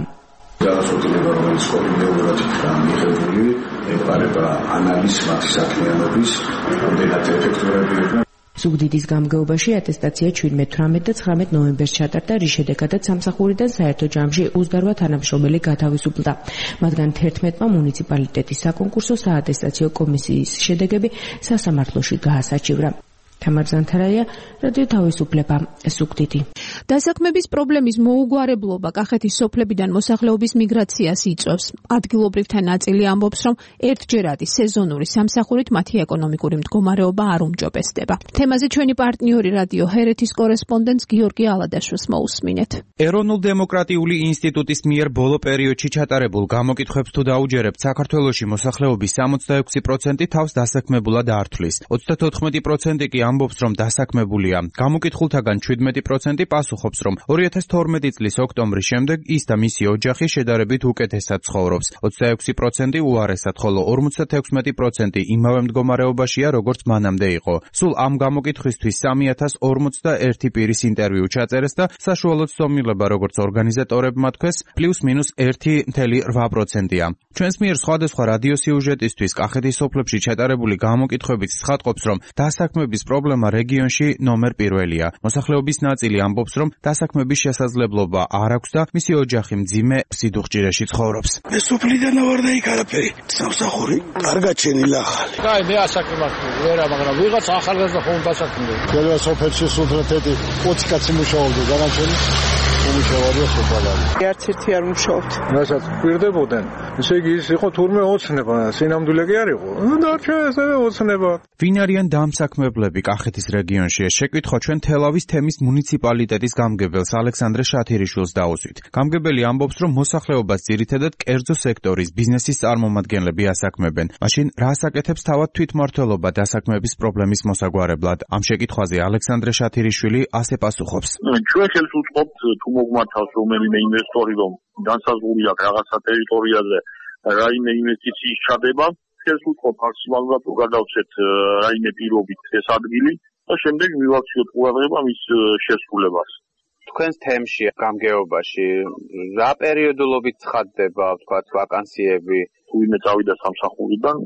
[SPEAKER 25] განსაკუთრებით რომელიც კოლეგიალურად მიღებული ეპარება ანალიზს მათი საქმიანობის, რამდენად ეფექტურები იყვნენ.
[SPEAKER 13] ზუგდიდის გამგეობაში ატესტაცია 17-18 და 19 ნოემბერს ჩატარდა, რის შედეგადაც სამსახურიდან საერთო ჯამში 28 თანამშრომელი გათავისუფლდა. მათგან 11-მა მუნიციპალიტეტის საკონკურსო საატესტაციო კომისიის შედეგები სასამართლოში გაასაჩივრა. თამარ ზანთარაია, რადიო თავისუფლება, ზუგდიდი.
[SPEAKER 4] დასაქმების პრობლემის მოუგვარებლობა კახეთის სოფლებიდან მოსახლეობის მიგრაციას იწვევს. ადგილობრივთა ნაწილი ამბობს, რომ ერთჯერადი სეზონური სამსახურით მათი ეკონომიკური მდგომარეობა არ უმჯობესდება. თემაზე ჩვენი პარტნიორი რადიო ჰერეთის კორესპონდენტს გიორგი ალადაშვილს მოусმინეთ.
[SPEAKER 15] ეროვნულ-დემოკრატიული ინსტიტუტის მიერ ბოლო პერიოდში ჩატარებულ გამოკითხვებს თუ დაუჯერებთ, საქართველოში მოსახლეობის 66% თავს დასაქმებულად ართვლის. 34% კი ამბობს, რომ დასაქმებულია. გამოკითხულთაგან 17% პასუხობს, რომ 2012 წლის ოქტომბრის შემდეგ ის და მისი ოჯახი შედარებით უკეთესად ცხოვრობს. 26% უარესად, ხოლო 56% იმავე მდგომარეობაშია, როგორც მანამდე იყო. სულ ამ გამოკითხვისთვის 3041 პირის ინტერვიუ ჩაწერეს და საშუალო ცდომილება, როგორც ორგანიზატორებმა თქვეს, +-1 1.8%-ია. ჩვენს მიერ სხვადასხვა რადიო სიუჟეტისთვის კახეთის სოფლებში ჩატარებული გამოკითხვებით ცხადყოფს, რომ დასაქმების პრობლემა რეგიონში ნომერ პირველია. მოსახლეობის ნაწილი ამბობს, რომ დასაქმების შესაძლებლობა არ აქვს და მისი ოჯახი მძიმე სიდუხჭირეში ცხოვრობს.
[SPEAKER 24] მე სოფლიდან ვარ და იქ არაფერი. სამსახური კარგად შენილა ახალი.
[SPEAKER 18] კაი, მე ასაქმებად ვერა, მაგრამ ვიღაც ახალგაზრდა ხომ დასაქმდა. ყველა სოფელში სულთეთი 20 კაცი მუშაობდა, განაჩენი უმუშავარია სოფალარი.
[SPEAKER 19] არც ერთი არ მუშაობთ.
[SPEAKER 18] რასაც პირდებოდნენ, ესე იგი ის იყო თურმე ოცნება, სინამდვილე კი არ იყო. დარჩა ესევე ოცნება.
[SPEAKER 15] ვინ არიან დამსაქმებლები კახეთის რეგიონში? ეს შეკითხვა ჩვენ თელავის თემის მუნიციპალიტეტის გამგებელს ალექსანდრე შათირიშვილს დაუსვით. გამგებელი ამბობს, რომ მოსახლეობას ძირითადად კერძო სექტორის ბიზნესის წარმომადგენლები ასაქმებენ. მაშინ რას აკეთებს თავად თვითმმართველობა დასაქმების პრობლემის მოსაგვარებლად? ამ შეკითხვაზე ალექსანდრე შათირიშვილი ასე პასუხობს.
[SPEAKER 5] ჩვენ ხელს უწყობთ თუ მოგმართავს რომელიმე ინვესტორი, რომ განსაზღვრული აქვს რაღაცა ტერიტორიაზე რაიმე ინვესტიციის ჩადება, ხელს უწყობთ მაქსიმალურად თუ გადავცეთ რაიმე პირობით ეს ადგილი და შემდეგ მივაქციოთ ყურადღება მის შესრულებას.
[SPEAKER 20] თქვენს თემში გამგეობაში რა პერიოდულობით ცხადდება, თქვათ, ვაკანსიები?
[SPEAKER 5] თუ ვინმე წავიდა სამსახურიდან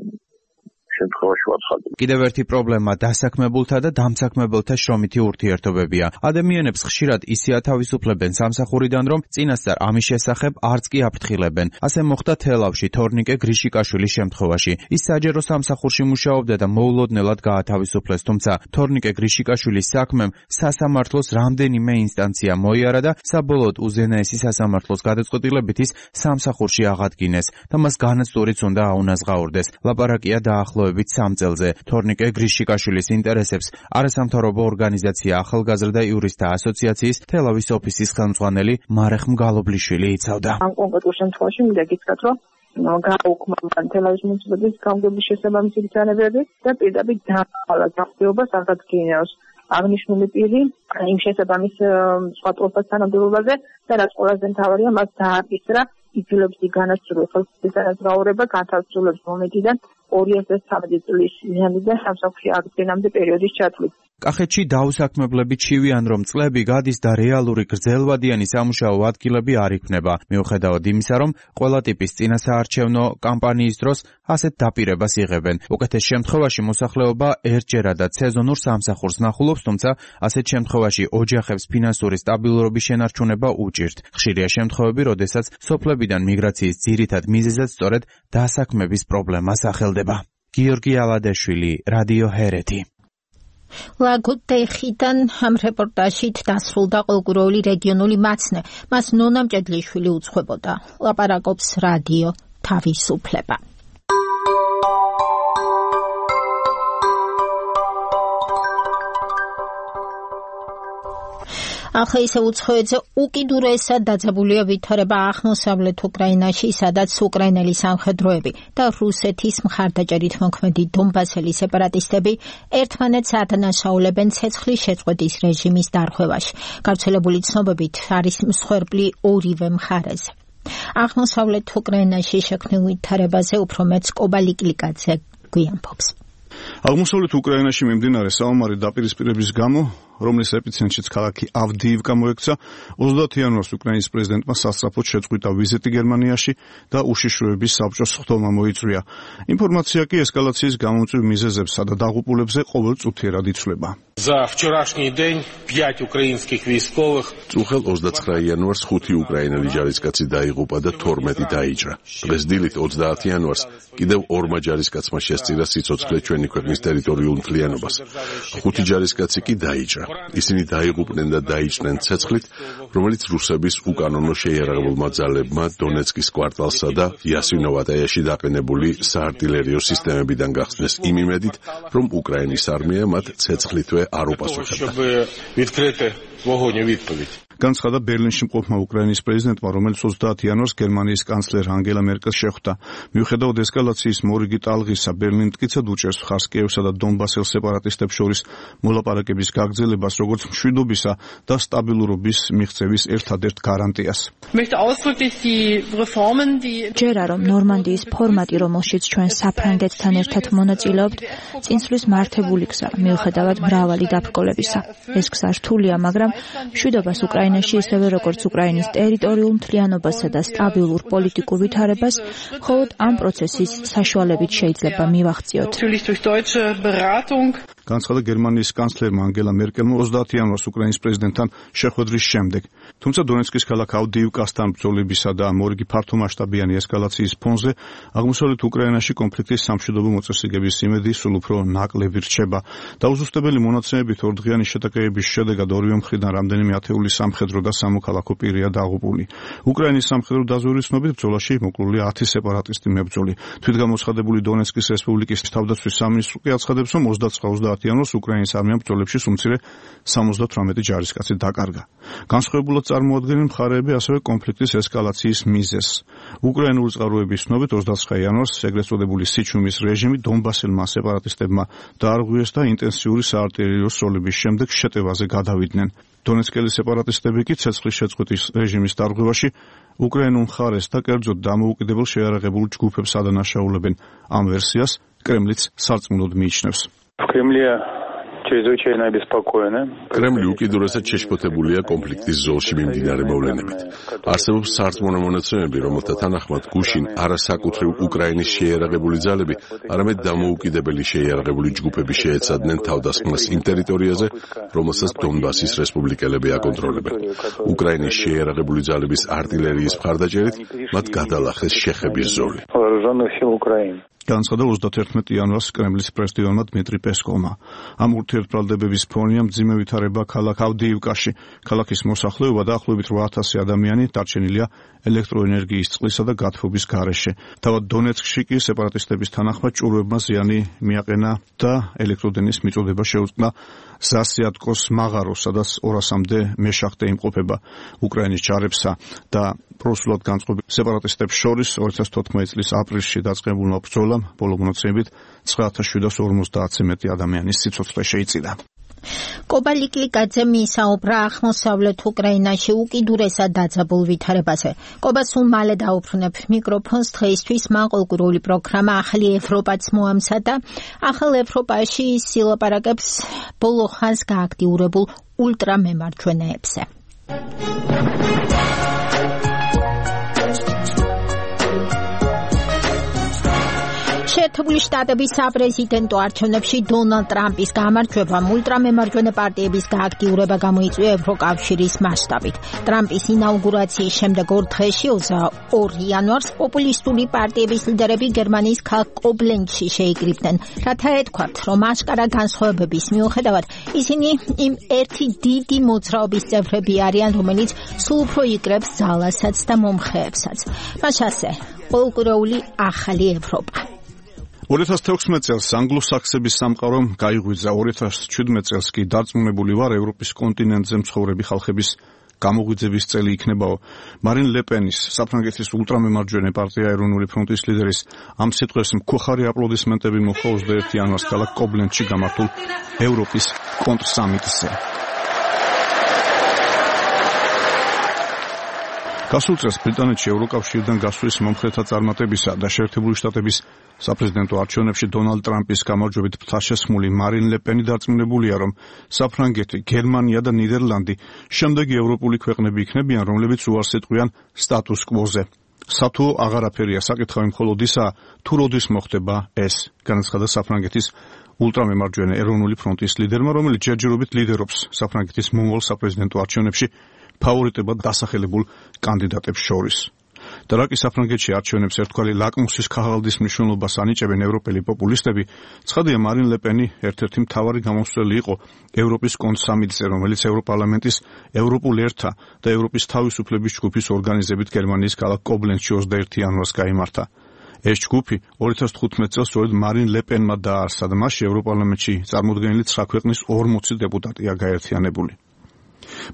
[SPEAKER 5] შემთხვევაში ვაცხადებ.
[SPEAKER 15] კიდევ ერთი პრობლემა დასაქმებულთა და დამსაქმებელთა შრომითი ურთიერთობებია. ადამიანებს ხშირად ისე ათავისუფლებენ სამსახურიდან, რომ წინასწარ ამის შესახებ არც კი აფრთხილებენ. ასე მოხდა თელავში თორნიკე გრიშიკაშვილის შემთხვევაში. ის საჯერო სამსახურში მუშაობდა და მოულოდნელად გაათავისუფლეს, თუმცა თორნიკე გრიშიკაშვილის საქმემ სასამართლოს რამდენიმე ინსტანცია მოიარა და საბოლოოდ უზენაესი სასამართლოს გადაწყვეტილებით ის სამსახურში აღადგინეს და მას განაცდურიც უნდა აუნაზღაურდეს. ლაპარაკია დაახლოებით 3 წელზე. თორნიკე გრიშიკაშვილის ინტერესებს არასამთავრობო ორგანიზაცია ახალგაზრდა იურისტთა ასოციაციის თელავის ოფისის ხელმძღვანელი მარეხ მგალობლიშვილი იცავდა.
[SPEAKER 19] ამ კონკრეტულ შემთხვევაში მინდა გითხრათ, რომ გააუქმა თელავის მუნიციპალიტეტის გამგეობის შესაბამისი ბრძანებები და პირდაპირ დაავალა გამგეობას აღადგინოს აღნიშნული პირი იმ შესაბამის სხვადასხვა თანამდებობაზე და რაც ყველაზე მთავარია, მას დააკისრა ითვლებს განაცდურა ხელისუფლების განაზღაურება განთავისუფლების მომენტიდან 2013 წლის იანვრიდან სამსახურში აღდგენამდე პერიოდის ჩათვლით.
[SPEAKER 15] კახეთში დაუსაქმებლები ჩივიან, რომ წლები გადის და რეალური გრძელვადიანი სამუშაო ადგილები არ იქნება. მიუხედავად იმისა, რომ ყველა ტიპის წინასაარჩევნო კამპანიის დროს ასეთ დაპირებას იღებენ. უკეთეს შემთხვევაში მოსახლეობა ერთჯერადად სეზონურ სამსახურს ნახულობს, თუმცა ასეთ შემთხვევაში ოჯახებს ფინანსური სტაბილურობის შენარჩუნება უჭირთ. ხშირია შემთხვევები, როდესაც სოფლებიდან მიგრაციის ძირითად მიზეზად სწორედ დასაქმების პრობლემა სახელდება. გიორგი ალადაშვილი, რადიო ჰერეთი.
[SPEAKER 2] ლაგოდეხიდან ამ რეპორტაჟით დასრულდა ყოველკვირეული რეგიონული მაცნე. მას ნონა მჭედლიშვილი უძღვებოდა. ლაპარაკობს რადიო თავისუფლება. ახლა ისე უცხოეთზე უკიდურესად დაძაბულია ვითარება აღმოსავლეთ უკრაინაში, სადაც უკრაინელი სამხედროები და რუსეთის მხარდაჭერით მოქმედი დონბასელი სეპარატისტები ერთმანეთს ადანაშაულებენ ცეცხლის შეწყვეტის რეჟიმის დარღვევაში. გავრცელებული ცნობებით არის მსხვერპლი ორივე მხარეზე. აღმოსავლეთ უკრაინაში შექმნილ ვითარებაზე უფრო მეც კობა ლიკლიკაძე გვიამბობს.
[SPEAKER 1] აღმოსავლეთ უკრაინაში მიმდინარე საომარი დაპირისპირების გამო, რომლის ეპიცენტრშიც ქალაქი ავდიივკა მოექცა, 30 იანვარს უკრაინის პრეზიდენტმა სასწრაფოდ შეწყვიტა ვიზიტი გერმანიაში და უშიშროების საბჭოს სხდომა მოიწვია. ინფორმაცია კი ესკალაციის გამომწვევ მიზეზებსა და დაღუპულებზე ყოველწუთიერად იცვლება.
[SPEAKER 6] За вчерашний день 5 украинских військовых.
[SPEAKER 21] Წუხელ 29 იანვარს 5 უკრაინელი ჯარისკაცი დაიღუპა და 12 დაიჭრა. დღეს დილით 30 იანვარს კიდევ 2 ჯარისკაცმა შესწირა სიცოცხლე ჩვენი ქვეყნის ტერიტორიულ მთლიანობას. 5 ჯარისკაცი კი დაიჭრა. ისინი დაიღუპნენ და დაიჭრნენ ცეცხლით, რომელიც რუსების უკანონო შეიარაღებულმა ძალებმა დონეცკის კვარტალსა და იასინოვატაიაში დაყენებული საარტილერიო სისტემებიდან გახსნეს იმ იმედით, რომ უკრაინის არმია მათ ცეცხლითვე არ უპასუხებდა. განცხადა ბერლინში მყოფმა უკრაინის პრეზიდენტმა, რომელიც 30 იანვარს გერმანიის კანცლერ ანგელა მერკელს შეხვდა. მიუხედავად ესკალაციის მორიგი ტალღისა, ბერლინი მტკიცედ უჭერს მხარს კიევსა და დონბასელ სეპარატისტებს შორის მოლაპარაკების გაგრძელებას, როგორც მშვიდობისა და სტაბილურობის მიღწევის ერთადერთ გარანტიას.
[SPEAKER 22] ჯერა რომ ნორმანდიის ფორმატი, რომელშიც ჩვენ საფრანგეთთან ერთად მონაწილეობთ, წინსვლის მართებული გზა, მიუხედავად მრავალი დაბრკოლებისა. ეს გზა რთულია, მაგრამ მშვიდობას უკრაინაში ისევე როგორც უკრაინის ტერიტორიულ მთლიანობასა და სტაბილურ პოლიტიკურ ვითარებას მხოლოდ ამ პროცესის საშუალებით შეიძლება მივახციოთ.
[SPEAKER 1] განცხადა გერმანიის კანცლერმა ანგელა მერკელმა 30 იანვარს უკრაინის პრეზიდენტთან შეხვედრის შემდეგ. თუმცა დონეცკის ქალაქ ავდიივკასთან ბრძოლებისა და მორიგი ფართომასშტაბიანი ესკალაციის ფონზე აღმოსავლეთ უკრაინაში კონფლიქტის სამშვიდობო მოწესრიგების იმედი სულ უფრო ნაკლები რჩება. დაუზუსტებელი მონაცემებით ორდღიანი შეტაკებების შედეგად ორივე მხრიდან რამდენიმე ათეული სამხედრო და სამოქალაქო პირია დაღუპული. უკრაინის სამხედრო დაზვერვის ცნობით ბრძოლაში მოკლულია 10 სეპარატისტი მებრძოლი. თვითგამოცხადებული დონეცკის რესპუბლიკის თავდაცვის სამინისტრო კი აცხადებს, რომ 29 იანვარს უკრაინის არმიამ ბრძოლებში უმცირე 78 ჯარისკაცი დაკარგა. განსხვავებულად წარმოადგენენ მხარეები ასევე კონფლიქტის ესკალაციის მიზეზს. უკრაინული წყაროების ცნობით 29 იანვარს ეგრეთ წოდებული სიჩუმის რეჟიმი დონბასელმა სეპარატისტებმა დაარღვიეს და ინტენსიური საარტილერიო სროლების შემდეგ შეტევაზე გადავიდნენ. დონეცკელი სეპარატისტები კი ცეცხლის შეწყვეტის რეჟიმის დარღვევაში უკრაინულ მხარეს და კერძოდ დამოუკიდებელ შეიარაღებულ ჯგუფებს ადანაშაულებენ. ამ ვერსიას კრემლიც სარწმუნოდ მიიჩნევს.
[SPEAKER 21] კრემლი უკიდურესად შეშფოთებულია კონფლიქტის ზოლში მიმდინარე მოვლენებით. არსებობს სარწმუნო მონაცემები, რომელთა თანახმად გუშინ არა საკუთრივ უკრაინის შეიარაღებული ძალები, არამედ დამოუკიდებელი შეიარაღებული ჯგუფები შეეცადნენ თავდასხმას იმ ტერიტორიაზე, რომელსაც დონბასის რესპუბლიკელები აკონტროლებენ. უკრაინის შეიარაღებული ძალების არტილერიის მხარდაჭერით მათ გადალახეს შეხების ზოლი. განცხადა 31 იანვარს კრემლის პრესდივანმა დმიტრი პესკოვმა. ამ ურთიერთბრალდებების ფონია მძიმე ვითარება ქალაქ ავდიივკაში. ქალაქის მოსახლეობა დაახლოებით 8000 ადამიანი დარჩენილია ელექტროენერგიის წყლისა და გათბობის გარეშე. თავად დონეცკში კი სეპარატისტების თანახმად ჭურვებმა ზიანი მიაყენა და ელექტროდენის მიწოდება შეუწყნა ზასიატკოს მაღაროს, სადაც 200-მდე მეშახტე იმყოფება უკრაინის ჯარებსა და პროსულად განწყობილ სეპარატისტებს შორის 2014 წლის აპრილში დაწყებულმა ბრძოლამ ბოლო მონაცემებით 9750-ზე მეტი ადამიანის სიცოცხლე შეიწირა.
[SPEAKER 2] კობალიკლიკაძე მისაუბრა აღმოსავლეთ უკრაინაში უკიდურესად დაძაბულ ვითარებაზე. კობა სულ მალე დაუბრუნებ მიკროფონს. დღეისთვის მან ყოლკურული პროგრამა ახალი ევროპაც მოამზადა. ახალ ევროპაში სილაპარაკებს ბოლო ხანს გააქტიურებულ ულტრამემარჯვენეებზე. შეერთებული შტატების საპრეზიდენტო არჩევნებში დონალდ ტრამპის გამარჯვებამ ულტრამემარჯვენე პარტიების გააქტიურება გამოიწვია ევროკავშირის მასშტაბით. ტრამპის ინაუგურაციის შემდეგ ორ დღეში 22 იანვარს პოპულისტური პარტიების ლიდერები გერმანიის ქალაქ კობლენცში შეიკრიბნენ, რათა ეთქვათ, რომ აშკარა განსხვავებების მიუხედავად ისინი იმ ერთი დიდი მოძრაობის წევრები არიან, რომელიც სულ უფრო იკრებს ძალასაც და მომხრეებსაც. მას ასე ყოლკურეული ახალი ევროპა.
[SPEAKER 1] 2016 წელს ანგლო-საქსების სამყარომ გაიღვიძა, 2017 წელს კი დარწმუნებული ვარ ევროპის კონტინენტზე მცხოვრები ხალხების გამოღვიძების წელი იქნებაო. მარინ ლე პენის, საფრანგეთის ულტრამემარჯვენე პარტია ეროვნული ფრონტის ლიდერის ამ სიტყვებს მქოხარი აპლოდისმენტები მოჰყვა 21 იანვარს ქალაქ კობლენცში გამართულ ევროპის კონტრსამიტზე. გასულ წელს ბრიტანეთში ევროკავშირიდან გასვლის მომხრეთა წარმატებისა და შეერთებული შტატების საპრეზიდენტო არჩევნებში დონალდ ტრამპის გამარჯვებით ფთაშესხმული მარინ ლე პენი დარწმუნებულია, რომ საფრანგეთი, გერმანია და ნიდერლანდი შემდეგი ევროპული ქვეყნები იქნებიან, რომლებიც უარს ეტყვიან სტატუს კვოზე. სათუო აღარაფერია საკითხავი მხოლოდ ისაა, თუ როდის მოხდება ეს, განაცხადა საფრანგეთის ულტრამემარჯვენე ეროვნული ფრონტის ლიდერმა, რომელიც ჯერჯერობით ლიდერობს საფრანგეთის მომავალ საპრეზიდენტო არჩევნებში ფავორიტებად დასახელებულ კანდიდატებს შორის. და რაკი საფრანგეთში არჩევნებს ერთგვარი ლაკმუსის ქაღალდის მნიშვნელობას ანიჭებენ ევროპელი პოპულისტები, ცხადია მარინ ლე პენი ერთ-ერთი მთავარი გამოსვლელი იყო ევროპის კონსამიტზე, რომელიც ევროპარლამენტის ევროპულ ერთა და ევროპის თავისუფლების ჯგუფის ორგანიზებით გერმანიის ქალაქ კობლენცში 21 იანვარს გაიმართა. ეს ჯგუფი 2015 წელს სწორედ მარინ ლე პენმა დააარსა და მასში ევროპარლამენტში წარმოდგენილი 9 ქვეყნის 40 დეპუტატია გაერთიანებული.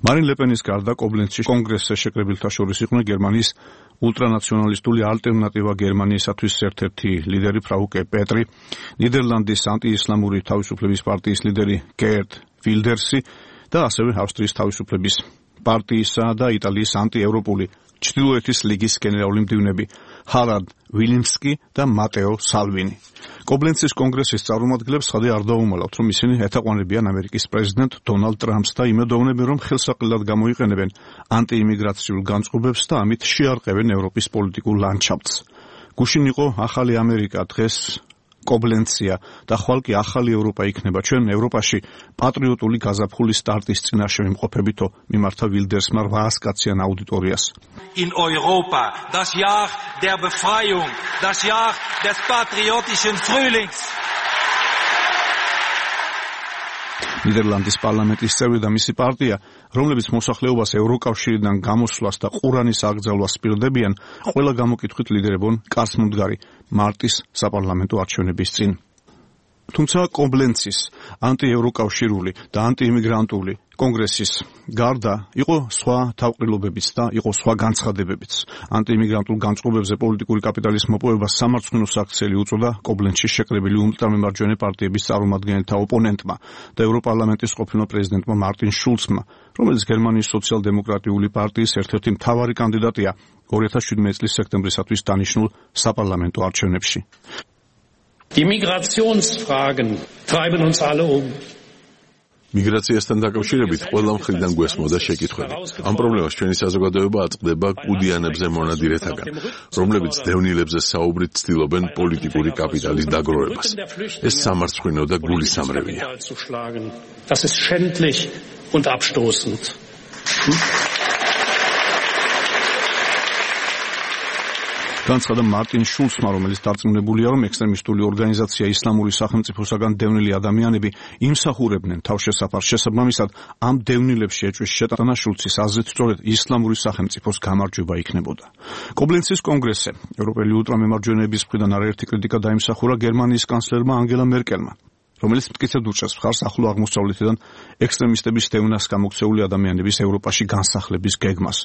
[SPEAKER 1] მარინ ლე პენის გარდა კობლენცში კონგრესზე შეკრებილთა შორის იყვნენ გერმანიის ულტრანაციონალისტული ალტერნატივა გერმანიისათვის ერთ-ერთი ლიდერი ფრაუკე პეტრი, ნიდერლანდის ანტიისლამური თავისუფლების პარტიის ლიდერი გერტ ვილდერსი და ასევე ავსტრიის თავისუფლების პარტიისა და იტალიის ანტიევროპული ჩრდილოეთის ლიგის გენერალური მდივნები ჰარალდ ვილიმსკი და მატეო სალვინი. კობლენცის კონგრესის წარმომადგენლებს ხადი არ დაუმალავთ, რომ ისინი ეთაყვანებიან ამერიკის პრეზიდენტ დონალდ ტრამპს და იმედოვნებენ, რომ ხელსაყრელად გამოიყენებენ ანტიიმიგრაციულ განწყობებს და ამით შეარყევენ ევროპის პოლიტიკურ ლანდშაფტს. გუშინ იყო ახალი ამერიკა, დღეს კობლენცია და ხვალ კი ახალი ევროპა იქნება. ჩვენ ევროპაში პატრიოტული გაზაფხულის სტარტის წინაშე ვიმყოფებითო, მიმართა ვილდერსმა 800 კაციან აუდიტორიას.
[SPEAKER 3] In Europa, das Jahr der Befreiung, das Jahr des patriotischen Frühlings.
[SPEAKER 1] ნიდერლანდის პარლამენტის წევრი და მისი პარტია, რომლებიც მოსახლეობას ევროკავშირიდან გამოსვლას და ყურანის აკრძალვას სპირდებიან, ყველა გამოკითხვით ლიდერებონ კაცმომდგარი მარტის საპარლამენტო არჩევნების წინ. თუმცა კობლენცის ანტიევროკავშირული და ანტიიმიგრანტული კონგრესის გარდა იყო სხვა თავყრილობებიც და იყო სხვა განცხადებებიც. ანტიიმიგრანტულ განწყობებზე პოლიტიკური კაპიტალის მოპოვებას სამარცხვინო საქციელი უწოდა კობლენცში შეკრებილი ულტრამემარჯვენე პარტიების წარმომადგენელთა ოპონენტმა და ევროპარლამენტის ყოფილ პრეზიდენტმა მარტინ შულცმა, რომელიც გერმანიის სოციალ-დემოკრატიული პარტიის ერთ-ერთი მთავარი კანდიდატია 2017 წლის სექტემბრისათვის დანიშნულ საპარლამენტო არჩევნებში.
[SPEAKER 3] Die Migrationsfragen treiben uns alle um.
[SPEAKER 7] მიგრაციასთან დაკავშირებით ყველა მხრიდან გვესმოდა შეკითხვები. ამ პრობლემას ჩვენი საზოგადოება აწყდება კუდიანებზე მონადირეთაგან, რომლებიც დევნილებზე საუბრით ცდილობენ პოლიტიკური კაპიტალის დაგროვებას. ეს სამარცხვინო და გულისამრევია.
[SPEAKER 3] Das ist schändlich und abstoßend.
[SPEAKER 1] განცხადა მარტინ შულცმა, რომელიც დარწმუნებულია, რომ ექსტრემისტული ორგანიზაცია ისლამური სახელმწიფოსაგან დევნილი ადამიანები იმსახურებდნენ თავშესაფარს. შესაბამისად, ამ დევნილებში ეჭვის შეტანა შულცის აზრით სწორედ ისლამური სახელმწიფოს გამარჯვება იქნებოდა. კობლენცის კონგრესზე ევროპელი ულტრამემარჯვენეების მხრიდან არაერთი კრიტიკა დაიმსახურა გერმანიის კანცლერმა ანგელა მერკელმა, რომელიც მტკიცედ უჭერს მხარს ახლო აღმოსავლეთიდან ექსტრემისტების დევნას გამოქცეული ადამიანების ევროპაში განსახლების გეგმას.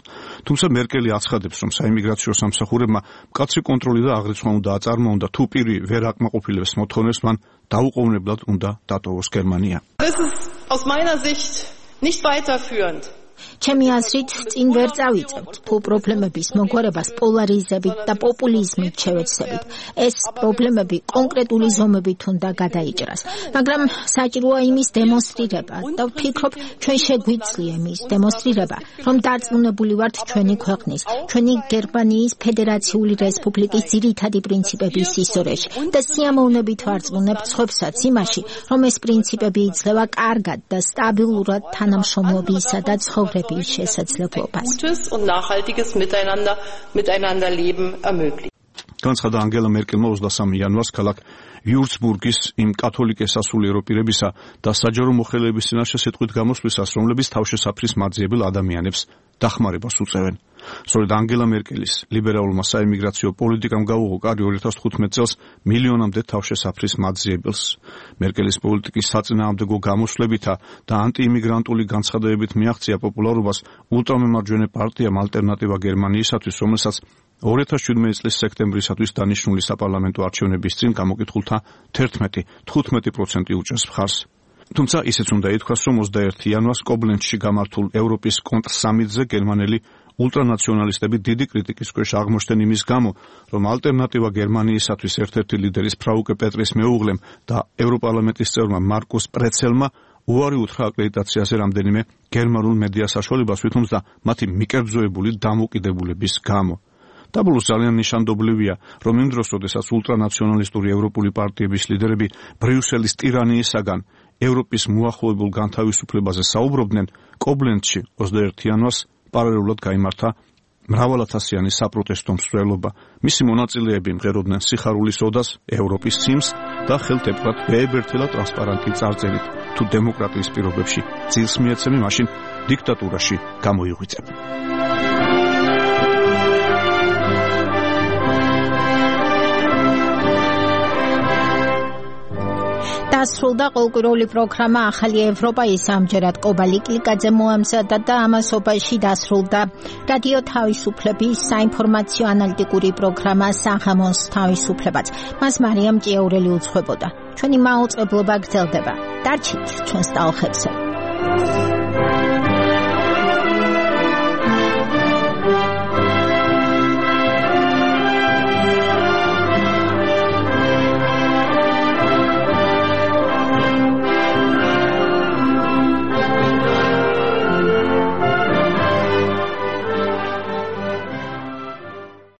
[SPEAKER 1] თუმცა მერკელი აცხადებს, რომ საიმიგრაციო სამსახურებმა მკაცრი კონტროლი და აღრიცხვა უნდა აწარმოონ და თუ პირი ვერ აკმაყოფილებს მოთხოვნებს, მან დაუყოვნებლად უნდა დატოვოს გერმანია.
[SPEAKER 9] Das ist aus meiner Sicht nicht weiterführend.
[SPEAKER 2] ჩემი აზრით, წინ ვერ წავიწევთ, თუ პრობლემების მოგვარებას პოლარიზებით და პოპულიზმით შევეცდებით. ეს პრობლემები კონკრეტული ზომებით უნდა გადაიჭრას, მაგრამ საჭიროა იმის დემონსტრირება და ვფიქრობ, ჩვენ შეგვიძლია იმის დემონსტრირება, რომ დარწმუნებული ვართ ჩვენი ქვეყნის, ჩვენი გერმანიის ფედერაციული რესპუბლიკის ძირითადი პრინციპების ისტორიაში და სიამოვნებით ვარწმუნებთ სხვებსაც იმაში, რომ ეს პრინციპები იძლევა კარგად და სტაბილურად თანამშრომლობისა და ცხოვრების შესაძლებლობას.
[SPEAKER 9] Gutes und nachhaltiges Miteinanderleben ermöglicht.
[SPEAKER 1] განცხადა ანგელა მერკელმა 23 იანვარს ქალაქ ვიურცბურგის იმ კათოლიკე სასულიერო პირებისა და საჯარო მოხელეების წინაშე სიტყვით გამოსვლისას, რომლებიც თავშესაფრის მაძიებელ ადამიანებს დახმარებას უწევენ. სწორედ ანგელა მერკელის ლიბერალურმა საიმიგრაციო პოლიტიკამ გაუღო კარი 2015 წელს მილიონამდე თავშესაფრის მაძიებელს. მერკელის პოლიტიკის საწინააღმდეგო გამოსვლებითა და ანტიიმიგრანტული განცხადებებით მიაღწია პოპულარობას ულტრამემარჯვენე პარტიამ ალტერნატივა გერმანიისათვის, რომელსაც 2017 წლის სექტემბრისათვის დანიშნული საპარლამენტო არჩევნების წინ გამოკითხულთა 11-15% უჭერს მხარს. თუმცა ისიც უნდა ითქვას, რომ 21 იანვარს კობლენცში გამართულ ევროპის კონტრსამიტზე გერმანელი ულტრანაციონალისტები დიდი კრიტიკის ქვეშ აღმოჩნდნენ იმის გამო, რომ ალტერნატივა გერმანიისათვის ერთ-ერთი ლიდერის ფრაუკე პეტრის მეუღლემ და ევროპარლამენტის წევრმა მარკუს პრეცელმა უარი უთხრა აკრედიტაციაზე რამდენიმე გერმანულ მედია საშუალებას, ვითომცა მათი მიკერძოებული დამოკიდებულების გამო. დაბოლოს ძალიან ნიშანდობლივია, რომ იმ დროს, როდესაც ულტრანაციონალისტური ევროპული პარტიების ლიდერები ბრიუსელის ტირანიისაგან ევროპის მოახლოებულ განთავისუფლებაზე საუბრობდნენ, კობლენცში 21 იანვარს პარალელურად გაიმართა მრავალათასიანი საპროტესტო მსვლელობა. მისი მონაწილეები მღეროდნენ სიხარულის ოდას, ევროპის სიმს და ხელთ ეპყრათ ბეებერთელა ტრანსპარანტი წარწერით: თუ დემოკრატიის პირობებში ძილს მიეცემი, მაშინ დიქტატურაში გამოიღვიძებ.
[SPEAKER 2] დასრულდა ყოველკვირეული პროგრამა ახალი ევროპა. ის ამჯერად კობალი კლიკაძე მოამზადა და ამასობაში დასრულდა რადიო თავისუფლების საინფორმაციო ანალიტიკური პროგრამა საღამოს თავისუფლებაც. მას მარიამ ჭიაურელი უძღვებოდა. ჩვენი მაუწყებლობა გრძელდება. დარჩით ჩვენს ტალღებზე.